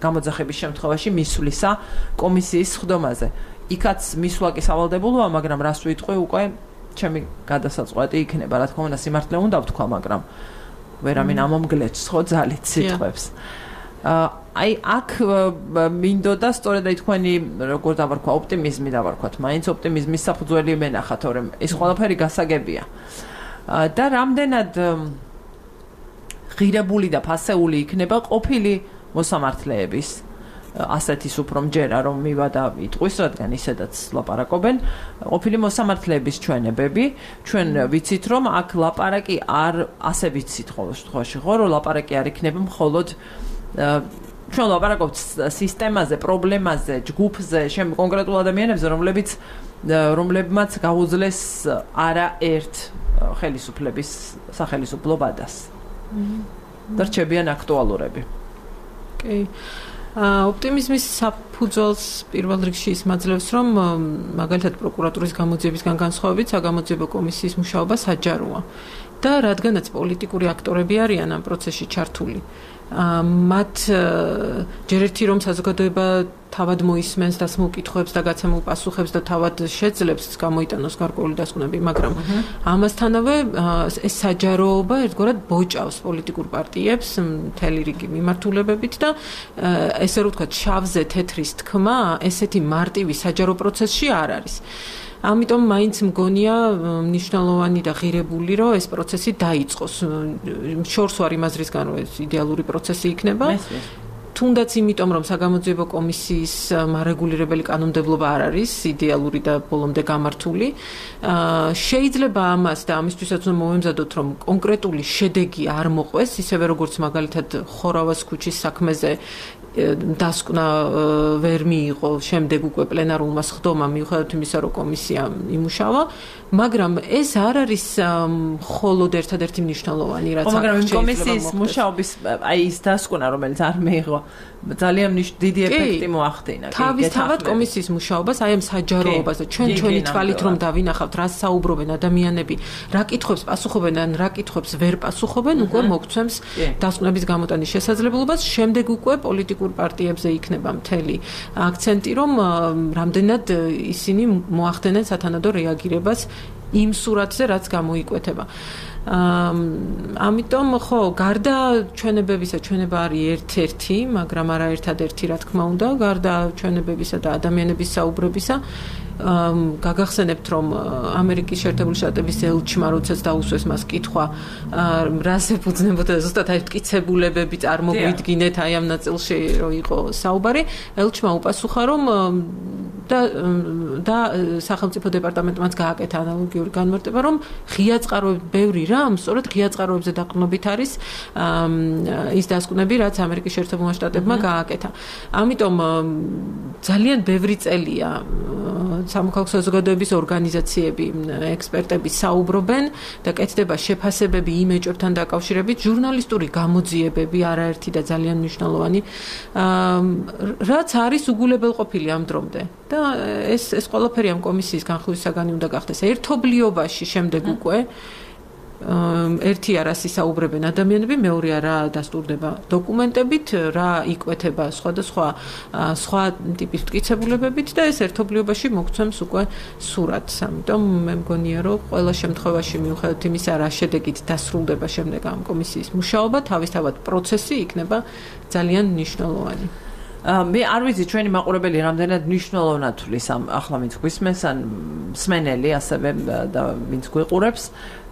გამოძახების შემთხვევაში მისვლისა კომისიის სხდომაზე იქაც მისვლა კი სავალდებულოა მაგრამ რას ვიტყვი უკვე ჩემი გადასაწყვეტი იქნება რა თქმა უნდა სიმართლე უნდა ვთქვა მაგრამ ვერავინ ამომგლეჭს ხო ძალით სიტყვებს აი აქ მინდოდა სწორედ აი თქვენი როგორ დავარქვა ოპტიმიზმი დავარქვათ მაინც ოპტიმიზმის საფუძველი მენახათ თორემ ეს ყველაფერი გასაგებია და რამდენად ღირებული და ფასეული იქნება ყოფილი მოსამართლეების ასეთის უფრო მჯერა რომ მივადა იტყვის რადგან ისედაც ლაპარაკობენ ყოფილი მოსამართლეების ჩვენებები ჩვენ ვიცით რომ აქ ლაპარაკი არ ასე ვიცით ხოლმე შემთხვევაში ხო რომ ლაპარაკი არ იქნება მხოლოდ ჩვენ ლაპარაკობთ სისტემაზე პრობლემაზე ჯგუფზე შემ კონკრეტულ ადამიანებზე რომლებიც რომლებმაც გაუძლეს არა ერთ ხელისუფლების სახელისუფლო ბადას და რჩებიან აქტუალურები კი ოპტიმიზმის საფუძველს პირველ რიგში ის მაძლევს რომ მაგალითად პროკურატურის გამოძიებისგან განსხვავებით საგამოძიებო კომისიის მუშაობა საჯაროა და რადგანაც პოლიტიკური აქტორები არიან ამ პროცესში ჩართული მათ ჯერ ერთი რომ საზოგადოება თავად მოისმენს დასმულ კითხვებს და გაცემულ პასუხებს და თავად შეძლებს გამოიტანოს გარკვეული დასკვნები, მაგრამ ამასთანავე ეს საჯაროობა ერთგვარად ბოჭავს პოლიტიკურ პარტიებს მთელი რიგი მიმართულებებით და ესე რომ ვთქვათ შავზე თეთრის თქმა ესეთი მარტივი საჯარო პროცესში არ არის. ამიტომ მაინც მგონია მნიშვნელოვანი და ღირებული რომ ეს პროცესი დაიწყოს. შორს ვარ იმ აზრისგან რომ ეს იდეალური პროცესი იქნება. თუნდაც იმიტომ რომ საგამოძიებო კომისიის მარეგულირებელი კანონმდებლობა არ არის იდეალური და ბოლომდე გამართული. შეიძლება ამას და ამისთვისაც უნდა მოვემზადოთ რომ კონკრეტული შედეგი არ მოყვეს, ისევე როგორც მაგალითად ხორავას ქუჩის საქმეზე დასკვნა ვერ მიიღო შემდეგ უკვე პლენარულმა სხდომამ მიუხედავად იმისა რომ კომისია იმუშავა, მაგრამ ეს არ არის მხოლოდ ერთადერთი მნიშვნელოვანი რაც აქ მაგრამ კომისიის მუშაობის აი ის დასკვნა რომელიც არ მიიღო ძალიან დიდი ეფექტი მოახდინა. თავისთავად კომისიის მუშაობას აი ამ საჯაროობაზე ჩვენ ჩვენი თვალით რომ დავინახავთ რა საუბრობენ ადამიანები, რა კითხვებს პასუხობენ ან რა კითხვებს ვერ პასუხობენ, უკვე მოგცემს დასკვნების გამოტანის შესაძლებლობას, შემდეგ უკვე პოლიტიკურ პარტიებზე იქნება მთელი აქცენტი რომ რამდენად ისინი მოახდენენ სათანადო რეაგირებას იმ სურათზე რაც გამოიკვეთება. ამიტომ ხო, გარდა ჩვენებებისა, ჩვენება არის ერთ-ერთი, მაგრამ არა ერთადერთი, რა თქმა უნდა, გარდა ჩვენებებისა და ადამიანების საუბრებისა, გაგახსენებთ, რომ ამერიკის შეერთებული შტატების ელჩმა, როდესაც დაუსვეს მას კითხვა, რას ეფუძნებოდა ზუსტად აი მტკიცებულებები წარმოგვიდგინეთ აი ამ ნაწილში რო იყო საუბარი, ელჩმა უპასუხა, რომ და და სახელმწიფო დეპარტამენტმაც გააკეთა ანალოგიური განმარტება, რომ ღია წყაროები, ბევრი რამ, სწორედ ღია წყაროებზე დაყრდნობით არის ის დასკვნები, რაც ამერიკის შეერთებულმა შტატებმა გააკეთა. ამიტომ ძალიან ბევრი წელია სამოქალაქო საზოგადოების ორგანიზაციები, ექსპერტები საუბრობენ და კეთდება შეფასებები იმ ეჭვებთან დაკავშირებით, ჟურნალისტური გამოძიებები არაერთი და ძალიან მნიშვნელოვანი, რაც არის უგულებელყოფილი ამ დრომდე. და ეს ეს ყველაფერი ამ კომისიის განხილვის საგანი უნდა გახდეს ერთობლიობაში შემდეგ უკვე ერთი არას ისაუბრებენ ადამიანები, მეორე რა დასტურდება დოკუმენტებით, რა იკვეთება სხვადასხვა სხვა ტიპის მტკიცებულებებით და ეს ერთობლიობაში მოგცემს უკვე სურათს. ამიტომ მე მგონია, რომ ყველა შემთხვევაში მიუხედავად იმისა, რა შედეგით დასრულდება შემდეგ ამ კომისიის მუშაობა, თავისთავად პროცესი იქნება ძალიან მნიშვნელოვანი. მე არ ვიცი ჩვენი მაყურებელი რამდენად მნიშვნელოვნად თulis ამ ახლა ვინც გვისმენს ან მსმენელი ასევე და ვინც გვიყურებს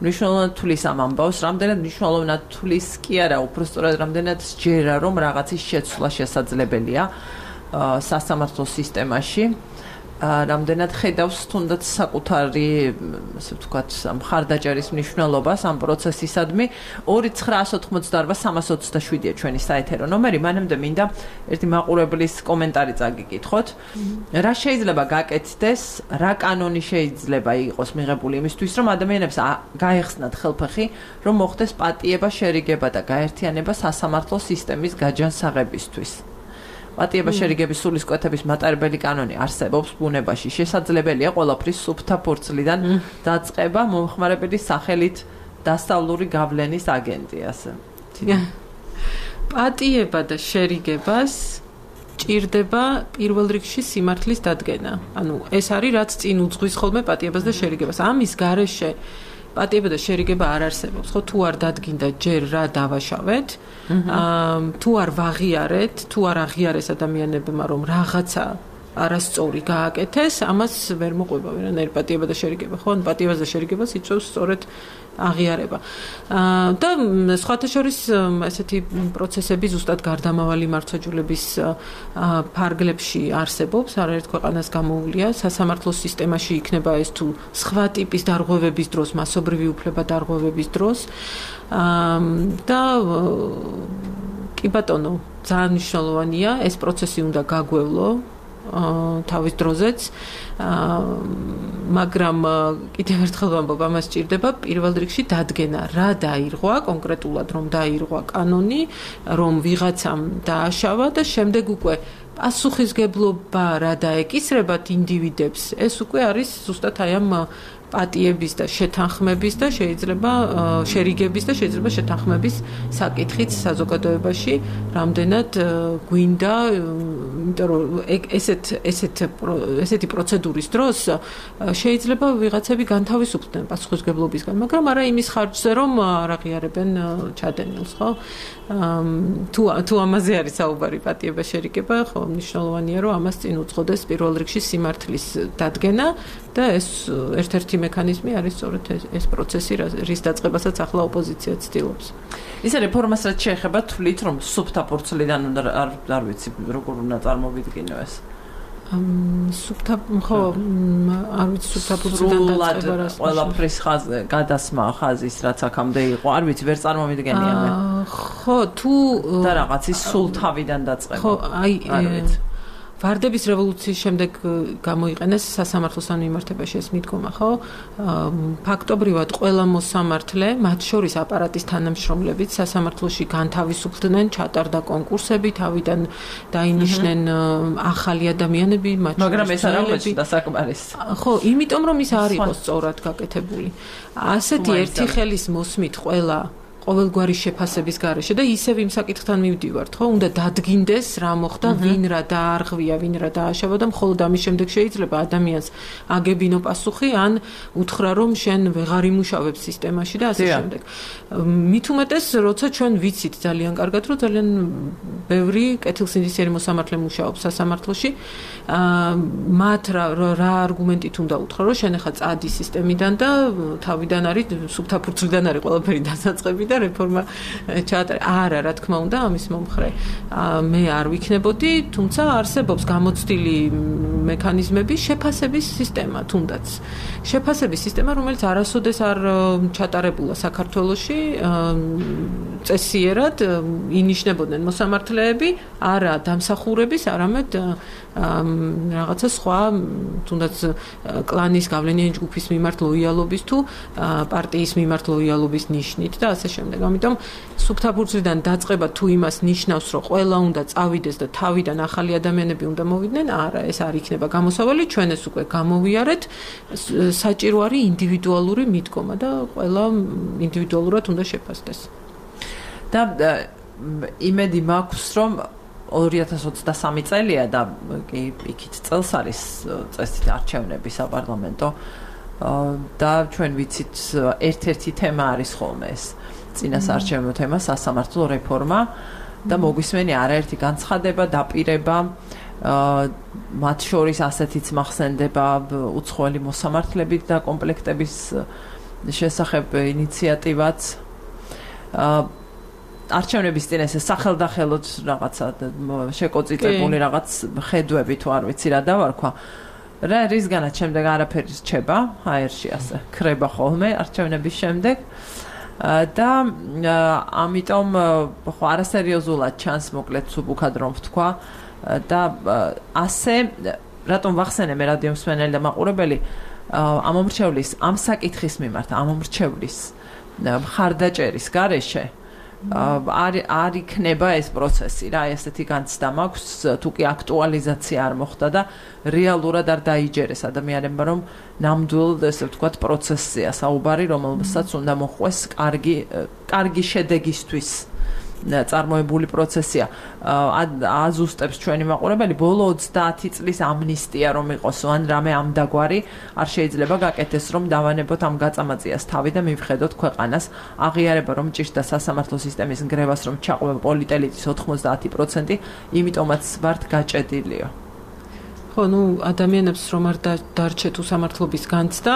მნიშვნელოვნად თulis ამ ამბავს რამდენად მნიშვნელოვნად თulis კი არა უბრალოდ რამდენად სჯერა რომ რაღაცის შეცვლა შესაძლებელია სასამართლო სისტემაში რამდენად ხედავს თუნდაც საკუთარი ასე ვთქვათ მხარდაჭერის მნიშვნელობას ამ პროცესისადმი ორი ცხრაას ოთხმოცდაარბა სამას ოცდაშვიდია ჩვენი საეთერო ნომერი მანამდე მინდა ერთი მაყურებლის კომენტარი წაგიკითხოთ რა შეიძლება გაკეთდეს რა კანონი შეიძლება იყოს მიღებული იმისთვის რომ ადამიანებს გაეხსნათ ხელფეხი რომ მოხდეს პატიება შერიგება და გაერთიანება სასამართლო სისტემის გაჯანსაღებისთვის პატიება შერიგების სულისკვეთების მატარებელი კანონი არსებობს ბუნებაში შესაძლებელია ყველაფრის სუფთა ფურცლიდან დაწყება მომხმარებლის სახელით დასავლური გავლენის აგენტი ასე პატიება და შერიგებას ჭირდება პირველ რიგში სიმართლის დადგენა ანუ ეს არის რაც წინ უძღვის ხოლმე პატიებას და შერიგებას ამის გარეშე პატიება და შერიგება არ არსებობს. ხო თუ არ დადგინდა ჯერ რა დავაშავეთ, თუ არ ვაღიარეთ, თუ არ აღიარეს ადამიანებმა რომ რაღაცა არასწორი გააკეთეს, ამას ვერ მოყვება ვერანაირი პატიება და შერიგება. ხო, ან პატიებას და შერიგებას იწვევს სწორედ აღიარება. და სხვათა შორის ესეთი პროცესები ზუსტად გარდამავალი მართლმსაჯულების ფარგლებში არსებობს, არაერთ ქვეყანას გამოუვლია სასამართლო სისტემაში იქნება ეს თუ სხვა ტიპის დარღვევების დროს, მასობრივი უფლება დარღვევების დროს და კი ბატონო, ძალიან მნიშვნელოვანია ეს პროცესი უნდა გაგვევლო თავის დროზეც მაგრამ კიდევ ერთხელ ვამბობ ამას ჭირდება პირველ რიგში დადგენა რა დაირღვა კონკრეტულად რომ დაირღვა კანონი რომ ვიღაცამ დააშავა და შემდეგ უკვე პასუხისგებლობა რა დაეკისრებათ ინდივიდებს ეს უკვე არის ზუსტად აი ამ პატიების და შეთანხმების და შეიძლება შერიგების და შეიძლება შეთანხმების საკითხიც საზოგადოებაში რამდენად გვინდა იმიტომ რომ ესეთ ესეთ ესეთი პროცედურის დროს შეიძლება ვიღაცები განთავისუფლდნენ პასუხისგებლობისგან მაგრამ არა იმის ხარჯზე რომ არ აღიარებენ ჩადენილს ხო თუ თუ ამაზე არის საუბარი პატიება შერიგება ხო მნიშვნელოვანია რომ ამას წინ უძღოდეს პირველ რიგში სიმართლის დადგენა და ეს ერთ-ერთი მექანიზმი არის სწორედ ეს პროცესი რის დაწყებასაც ახლა ოპოზიცია ცდილობს. ისე რეფორმას რაც შეეხება თვლით რომ სუფთა ფურცლიდან უნდა არ ვიცი როგორ უნდა წარმოვიდგინო ეს. სუფთა ხო არ ვიცი სუფთა ფურცლიდან დაწყება რა ყველაფრის ხაზი გადასმა ხაზის რაც აქამდე იყო არ ვიცი ვერ წარმოვიდგენია მე. ხო თუ და რაღაცის სულ თავიდან დაწყება. ხო აი არ ვიცი ვარდების რევოლუციის შემდეგ გამოიყენეს სასამართლოსთან მიმართებაში ეს მიდგომა, ხო? ფაქტობრივად ყველა მოსამართლე, მათ შორის აპარატის თანამშრომლებიც სასამართლოში განთავისუფლდნენ, ჩატარდა კონკურსები, თავიდან დაინიშნენ ახალი ადამიანები, მათ შორის. მაგრამ ეს არ აღმოჩნდა საკმარისი. ხო, იმიტომ რომ ის არ იყო სწორად გაკეთებული. ასეთი ერთი ხელის მოსმით ყველა ყოველგვარი შეფასების გარეშე და ისევ იმ საკითხთან მივდივართ, ხო? უნდა დადგინდეს რა მოხდა, ვინ რა დაარღვია, ვინ რა დააშავა და მხოლოდ ამის შემდეგ შეიძლება ადამიანს აგებინო პასუხი, ან უთხრა რომ შენ ვეღარ იმუშავებ სისტემაში და ასე შემდეგ. მით უმეტეს, როცა ჩვენ ვიცით ძალიან კარგად, რომ ძალიან ბევრი კეთილსინდისიერი მოსამართლე მუშაობს სასამართლოში, მათ რა რა არგუმენტით უნდა უთხრა, რომ შენ ახლა წადი სისტემიდან და თავიდან არის სუფთა ფურცლიდან არის ყველაფერი დასაწყები და რეფორმა ჩაატარე. არა, რა თქმა უნდა, ამის მომხრე მე არ ვიქნებოდი, თუმცა არსებობს გამოცდილი მექანიზმები, შეფასების სისტემა თუნდაც. შეფასების სისტემა, რომელიც არასოდეს არ ჩატარებულა საქართველოში, წესიერად ინიშნებოდნენ მოსამართლეები, არა დამსახურების, არამედ რაღაცა სხვა, თუნდაც კლანის გავლენიანი ჯგუფის მიმართ ლოიალობის თუ პარტიის მიმართ ლოიალობის ნიშნით და ასე შემდეგ. ამიტომ სუფთა ფურცლიდან დაწყება თუ იმას ნიშნავს, რომ ყველა უნდა წავიდეს და თავიდან ახალი ადამიანები უნდა მოვიდნენ, არა, ეს არ იქნება გამოსავალი, ჩვენ ეს უკვე გამოვიარეთ, საჭირო არის ინდივიდუალური მიდგომა და ყველა ინდივიდუალურად უნდა შეფასდეს. და იმედი მაქვს, რომ ორი ათას ოცდასამი წელია და კი იქით წელს არის წესით არჩევნები საპარლამენტო და ჩვენ ვიცით ერთ-ერთი თემა არის ხოლმე ეს წინასაარჩევნო თემა სასამართლო რეფორმა და მოგვისმენი არაერთი განცხადება, დაპირება, მათ შორის ასეთიც მახსენდება უცხოელი მოსამართლებით და კომპლექტების შესახებ ინიციატივაც. არჩევნების წინ ეს სახელდახელოდ რაღაცა შეკოწიწებული რაღაც ხედვები თუ არ ვიცი რა დავარქვა. რა რისგანაც შემდეგ არაფერი რჩება, აერში ასე ქრება ხოლმე არჩევნების შემდეგ. და ამიტომ ხო არასერიოზულად ჩანს მოკლედ სუბუქად რომ ვთქვა და ასე რატომ ვახსენე მე რადიო მსმენელი და მაყურებელი ამ მომრჩევლის ამ საკითხის მიმართ ამ მომრჩევლის მხარდაჭერის გარეშე არ არ იქნება ეს პროცესი რა ესეთი განცდა მაქვს თუ კი აქტუალიზაცია არ მოხდა და რეალურად არ დაიჯერეს ადამიანებმა რომ ნამდვილ ესე ვთქვათ პროცესია საუბარი რომელსაც უნდა მოხვეს კარგი კარგი შედეგისთვის წარმოებული პროცესია აზუსტებს ჩვენი მაყურებელი ბოლო ოცდაათი წლის ამნისტია რომ იყოს ან რამე ამდაგვარი არ შეიძლება გაკეთდეს რომ დავანებოთ ამ გაწამაწიას თავი და მივხედოთ ქვეყანას აღიარება რომ ჭირდა სასამართლო სისტემის ნგრევას რომ ჩაყვება პოლიტელიტის ოთხმოცდაათი პროცენტი იმიტომაც ვართ გაჭედილიო ხო, ნუ ადამიანებს რომ არ დარჩეთ უსამართლობის განცდა,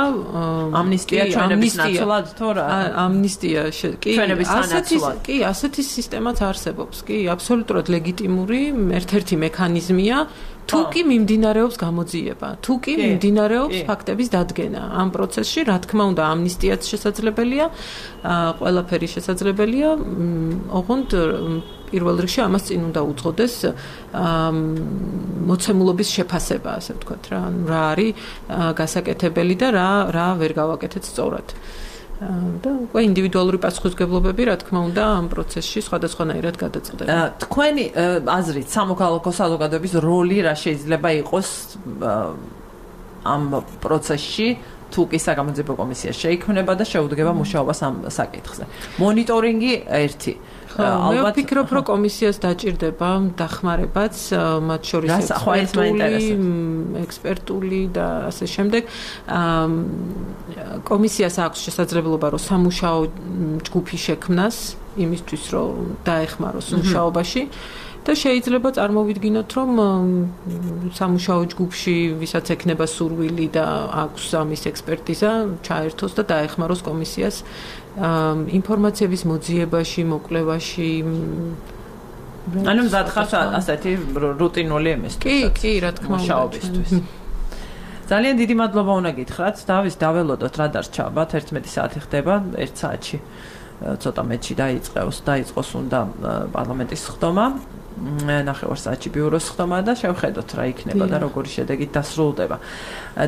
ამნისტია ჩვენების ნაცვლად თუ რა? ამნისტია კი, ასეთი კი, ასეთი სისტემაც არსებობს, კი, აბსოლუტურად ლეგიტიმური ერთ-ერთი მექანიზმია, თუ კი მიმდინარეობს გამოძიება, თუ კი მიმდინარეობს ფაქტების დადგენა ამ პროცესში, რა თქმა უნდა, ამნისტიაც შესაძლებელია, ყველაფერი შესაძლებელია, ოღონდ პირველ რიგში ამას წინ უნდა უძღოდეს მოცემულობის შეფასება, ასე ვთქვათ რა, რა არის გასაკეთებელი და რა რა ვერ გავაკეთეთ სწორად. და უკვე ინდივიდუალური პასუხისმგებლობები, რა თქმა უნდა, ამ პროცესში სხვადასხვანაირად გადაწყდება. თქვენი აზრით, სამოქალაქო საზოგადოების როლი რა შეიძლება იყოს ამ პროცესში, თუ კი საგამოძიებო კომისია შეიქმნება და შეუდგება მუშაობას ამ საკითხზე. მონიტორინგი ერთი მე ვფიქრობ, რომ კომისიას დაჭირდება დახმარებაც, მათ შორის ექსპერტული და ასე შემდეგ. კომისიას აქვს შესაძლებლობა, რომ სამუშაო ჯგუფი შექმნას იმისთვის, რომ დაეხმაროს მუშაობაში. და შეიძლება წარმოვიდგინოთ, რომ სამუშაო ჯგუფში ვისაც ექნება სურვილი და აქვს ამის ექსპერტიზა, ჩაერთოს და დაეხმაროს კომისიას ინფორმაციების მოძიებაში, მოკვლევაში. ანუ მზად ხართ ასეთი რუტინული იმისთვის. კი, კი, რა თქმა უნდა. ძალიან დიდი მადლობა უნდა გითხრათ. დავის დაველოდოთ რა დარჩაბათ, ერთმეტი საათი ხდება, ერთ საათში ცოტა მეტში დაიწყოს, დაიწყოს უნდა პარლამენტის ხდომა. ნახევარ საათში ბიუროს ხდომა და შევხედოთ რა იქნება და როგორი შედეგით დასრულდება.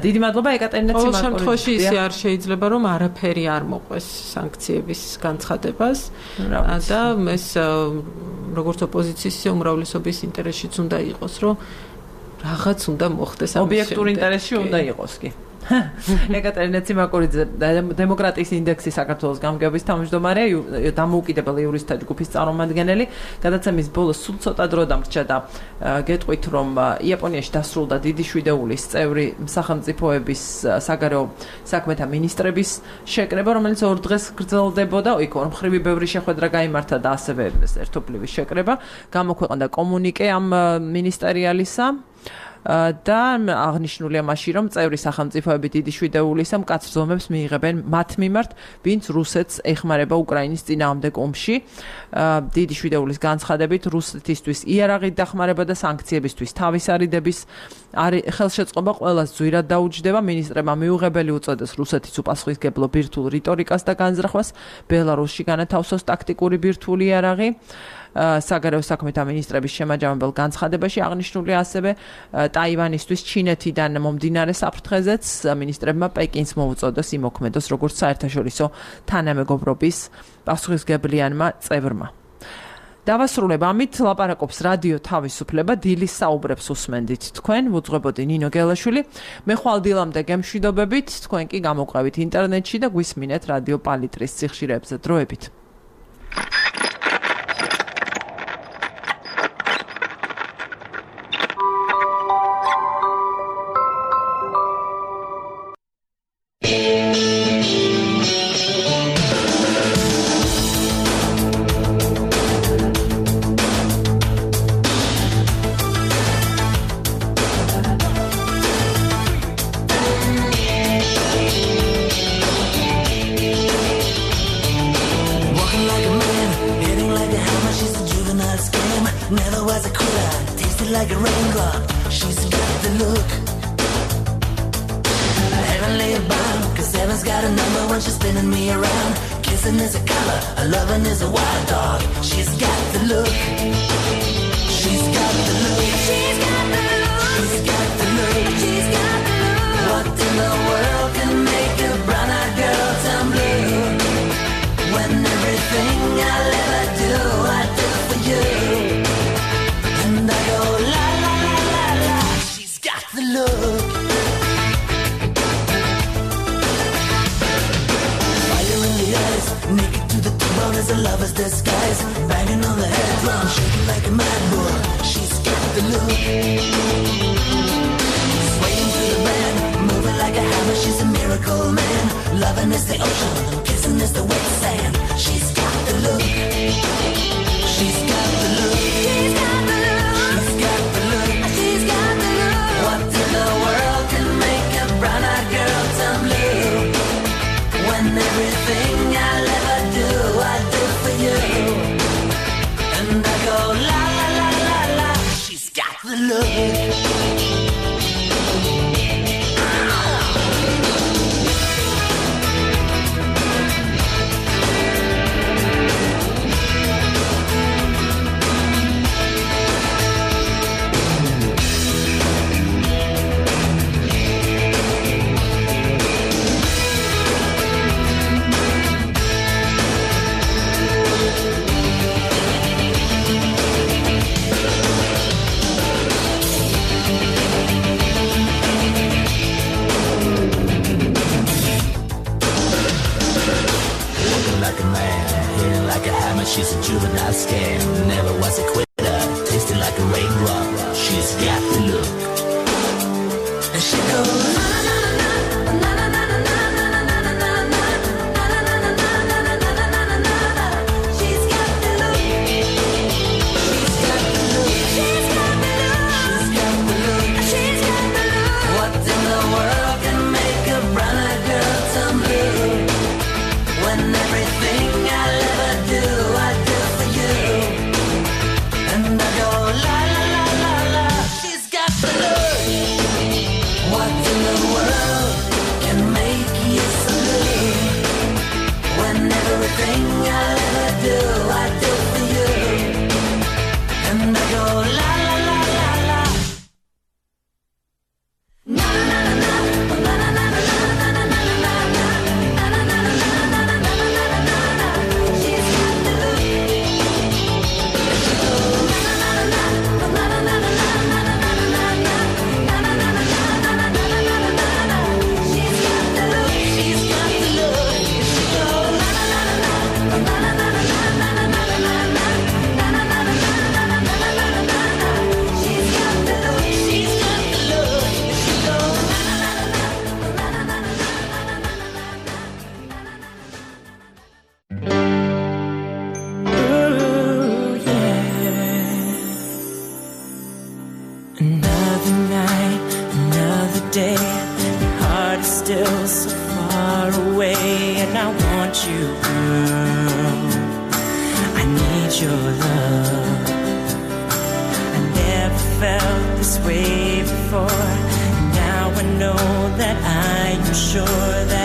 დიდი მადლობა ეკატერინე ციმაკოვიჩ. ყოველ შემთხვევაში ისე არ შეიძლება რომ არაფერი არ მოყვეს სანქციების განცხადებას და ეს როგორც ოპოზიციის ისე უმრავლესობის ინტერესშიც უნდა იყოს რომ რაღაც უნდა მოხდეს ამის ობიექტურ ინტერესში უნდა იყოს კი. ეკატერინე ციმაკურიძე დემოკრატიის ინდექსის საქართველოს გამგეობის თავმჯდომარე, დამოუკიდებელი იურისტთა ჯგუფის წარმომადგენელი, გადაცემის ბოლოს სულ ცოტა დრო დამრჩა და გეტყვით, რომ იაპონიაში დასრულდა დიდი შვიდეულის წევრი სახელმწიფოების საგარეო საქმეთა მინისტრების შეკრება, რომელიც ორ დღეს გრძელდებოდა, იქ ორმხრივი ბევრი შეხვედრა გაიმართა და ასევე ერთობლივი შეკრება, გამოქვეყნდა კომუნიკე ამ მინისტერიალისა და აღნიშნულია მასში, რომ წევრი სახელმწიფოები დიდი შვიდეულისა მკაცრ ზომებს მიიღებენ მათ მიმართ, ვინც რუსეთს ეხმარება უკრაინის წინააღმდეგ ომში. დიდი შვიდეულის განცხადებით, რუსეთისთვის იარაღით დახმარება და სანქციებისთვის თავის არიდების ხელშეწყობა ყველას ძვირად დაუჯდება. მინისტრებმა მიუღებელი უწოდეს რუსეთის უპასუხისმგებლო ბირთვულ რიტორიკას და განზრახვას, ბელარუსში განათავსოს ტაქტიკური ბირთვული იარაღი. საგარეო საქმეთა მინისტრების შემაჯამებელ განცხადებაში აღნიშნულია ასევე ტაივანისთვის ჩინეთიდან მომდინარე საფრთხეზეც მინისტრებმა პეკინს მოუწოდეს იმოქმედოს როგორც საერთაშორისო თანამეგობრობის პასუხისმგებლიანმა წევრმა. დავასრულებ ამით ლაპარაკობს რადიო თავისუფლება, დილის საუბრებს უსმენდით თქვენ, ვუძღვებოდი ნინო გელაშვილი. მე ხვალ დილამდე გემშვიდობებით, თქვენ კი გამოყვებით ინტერნეტში და გვისმინეთ რადიო პალიტრის სიხშირეებზე. დროებით. day. Your heart is still so far away, and I want you, girl. I need your love. I never felt this way before. Now I know that I am sure that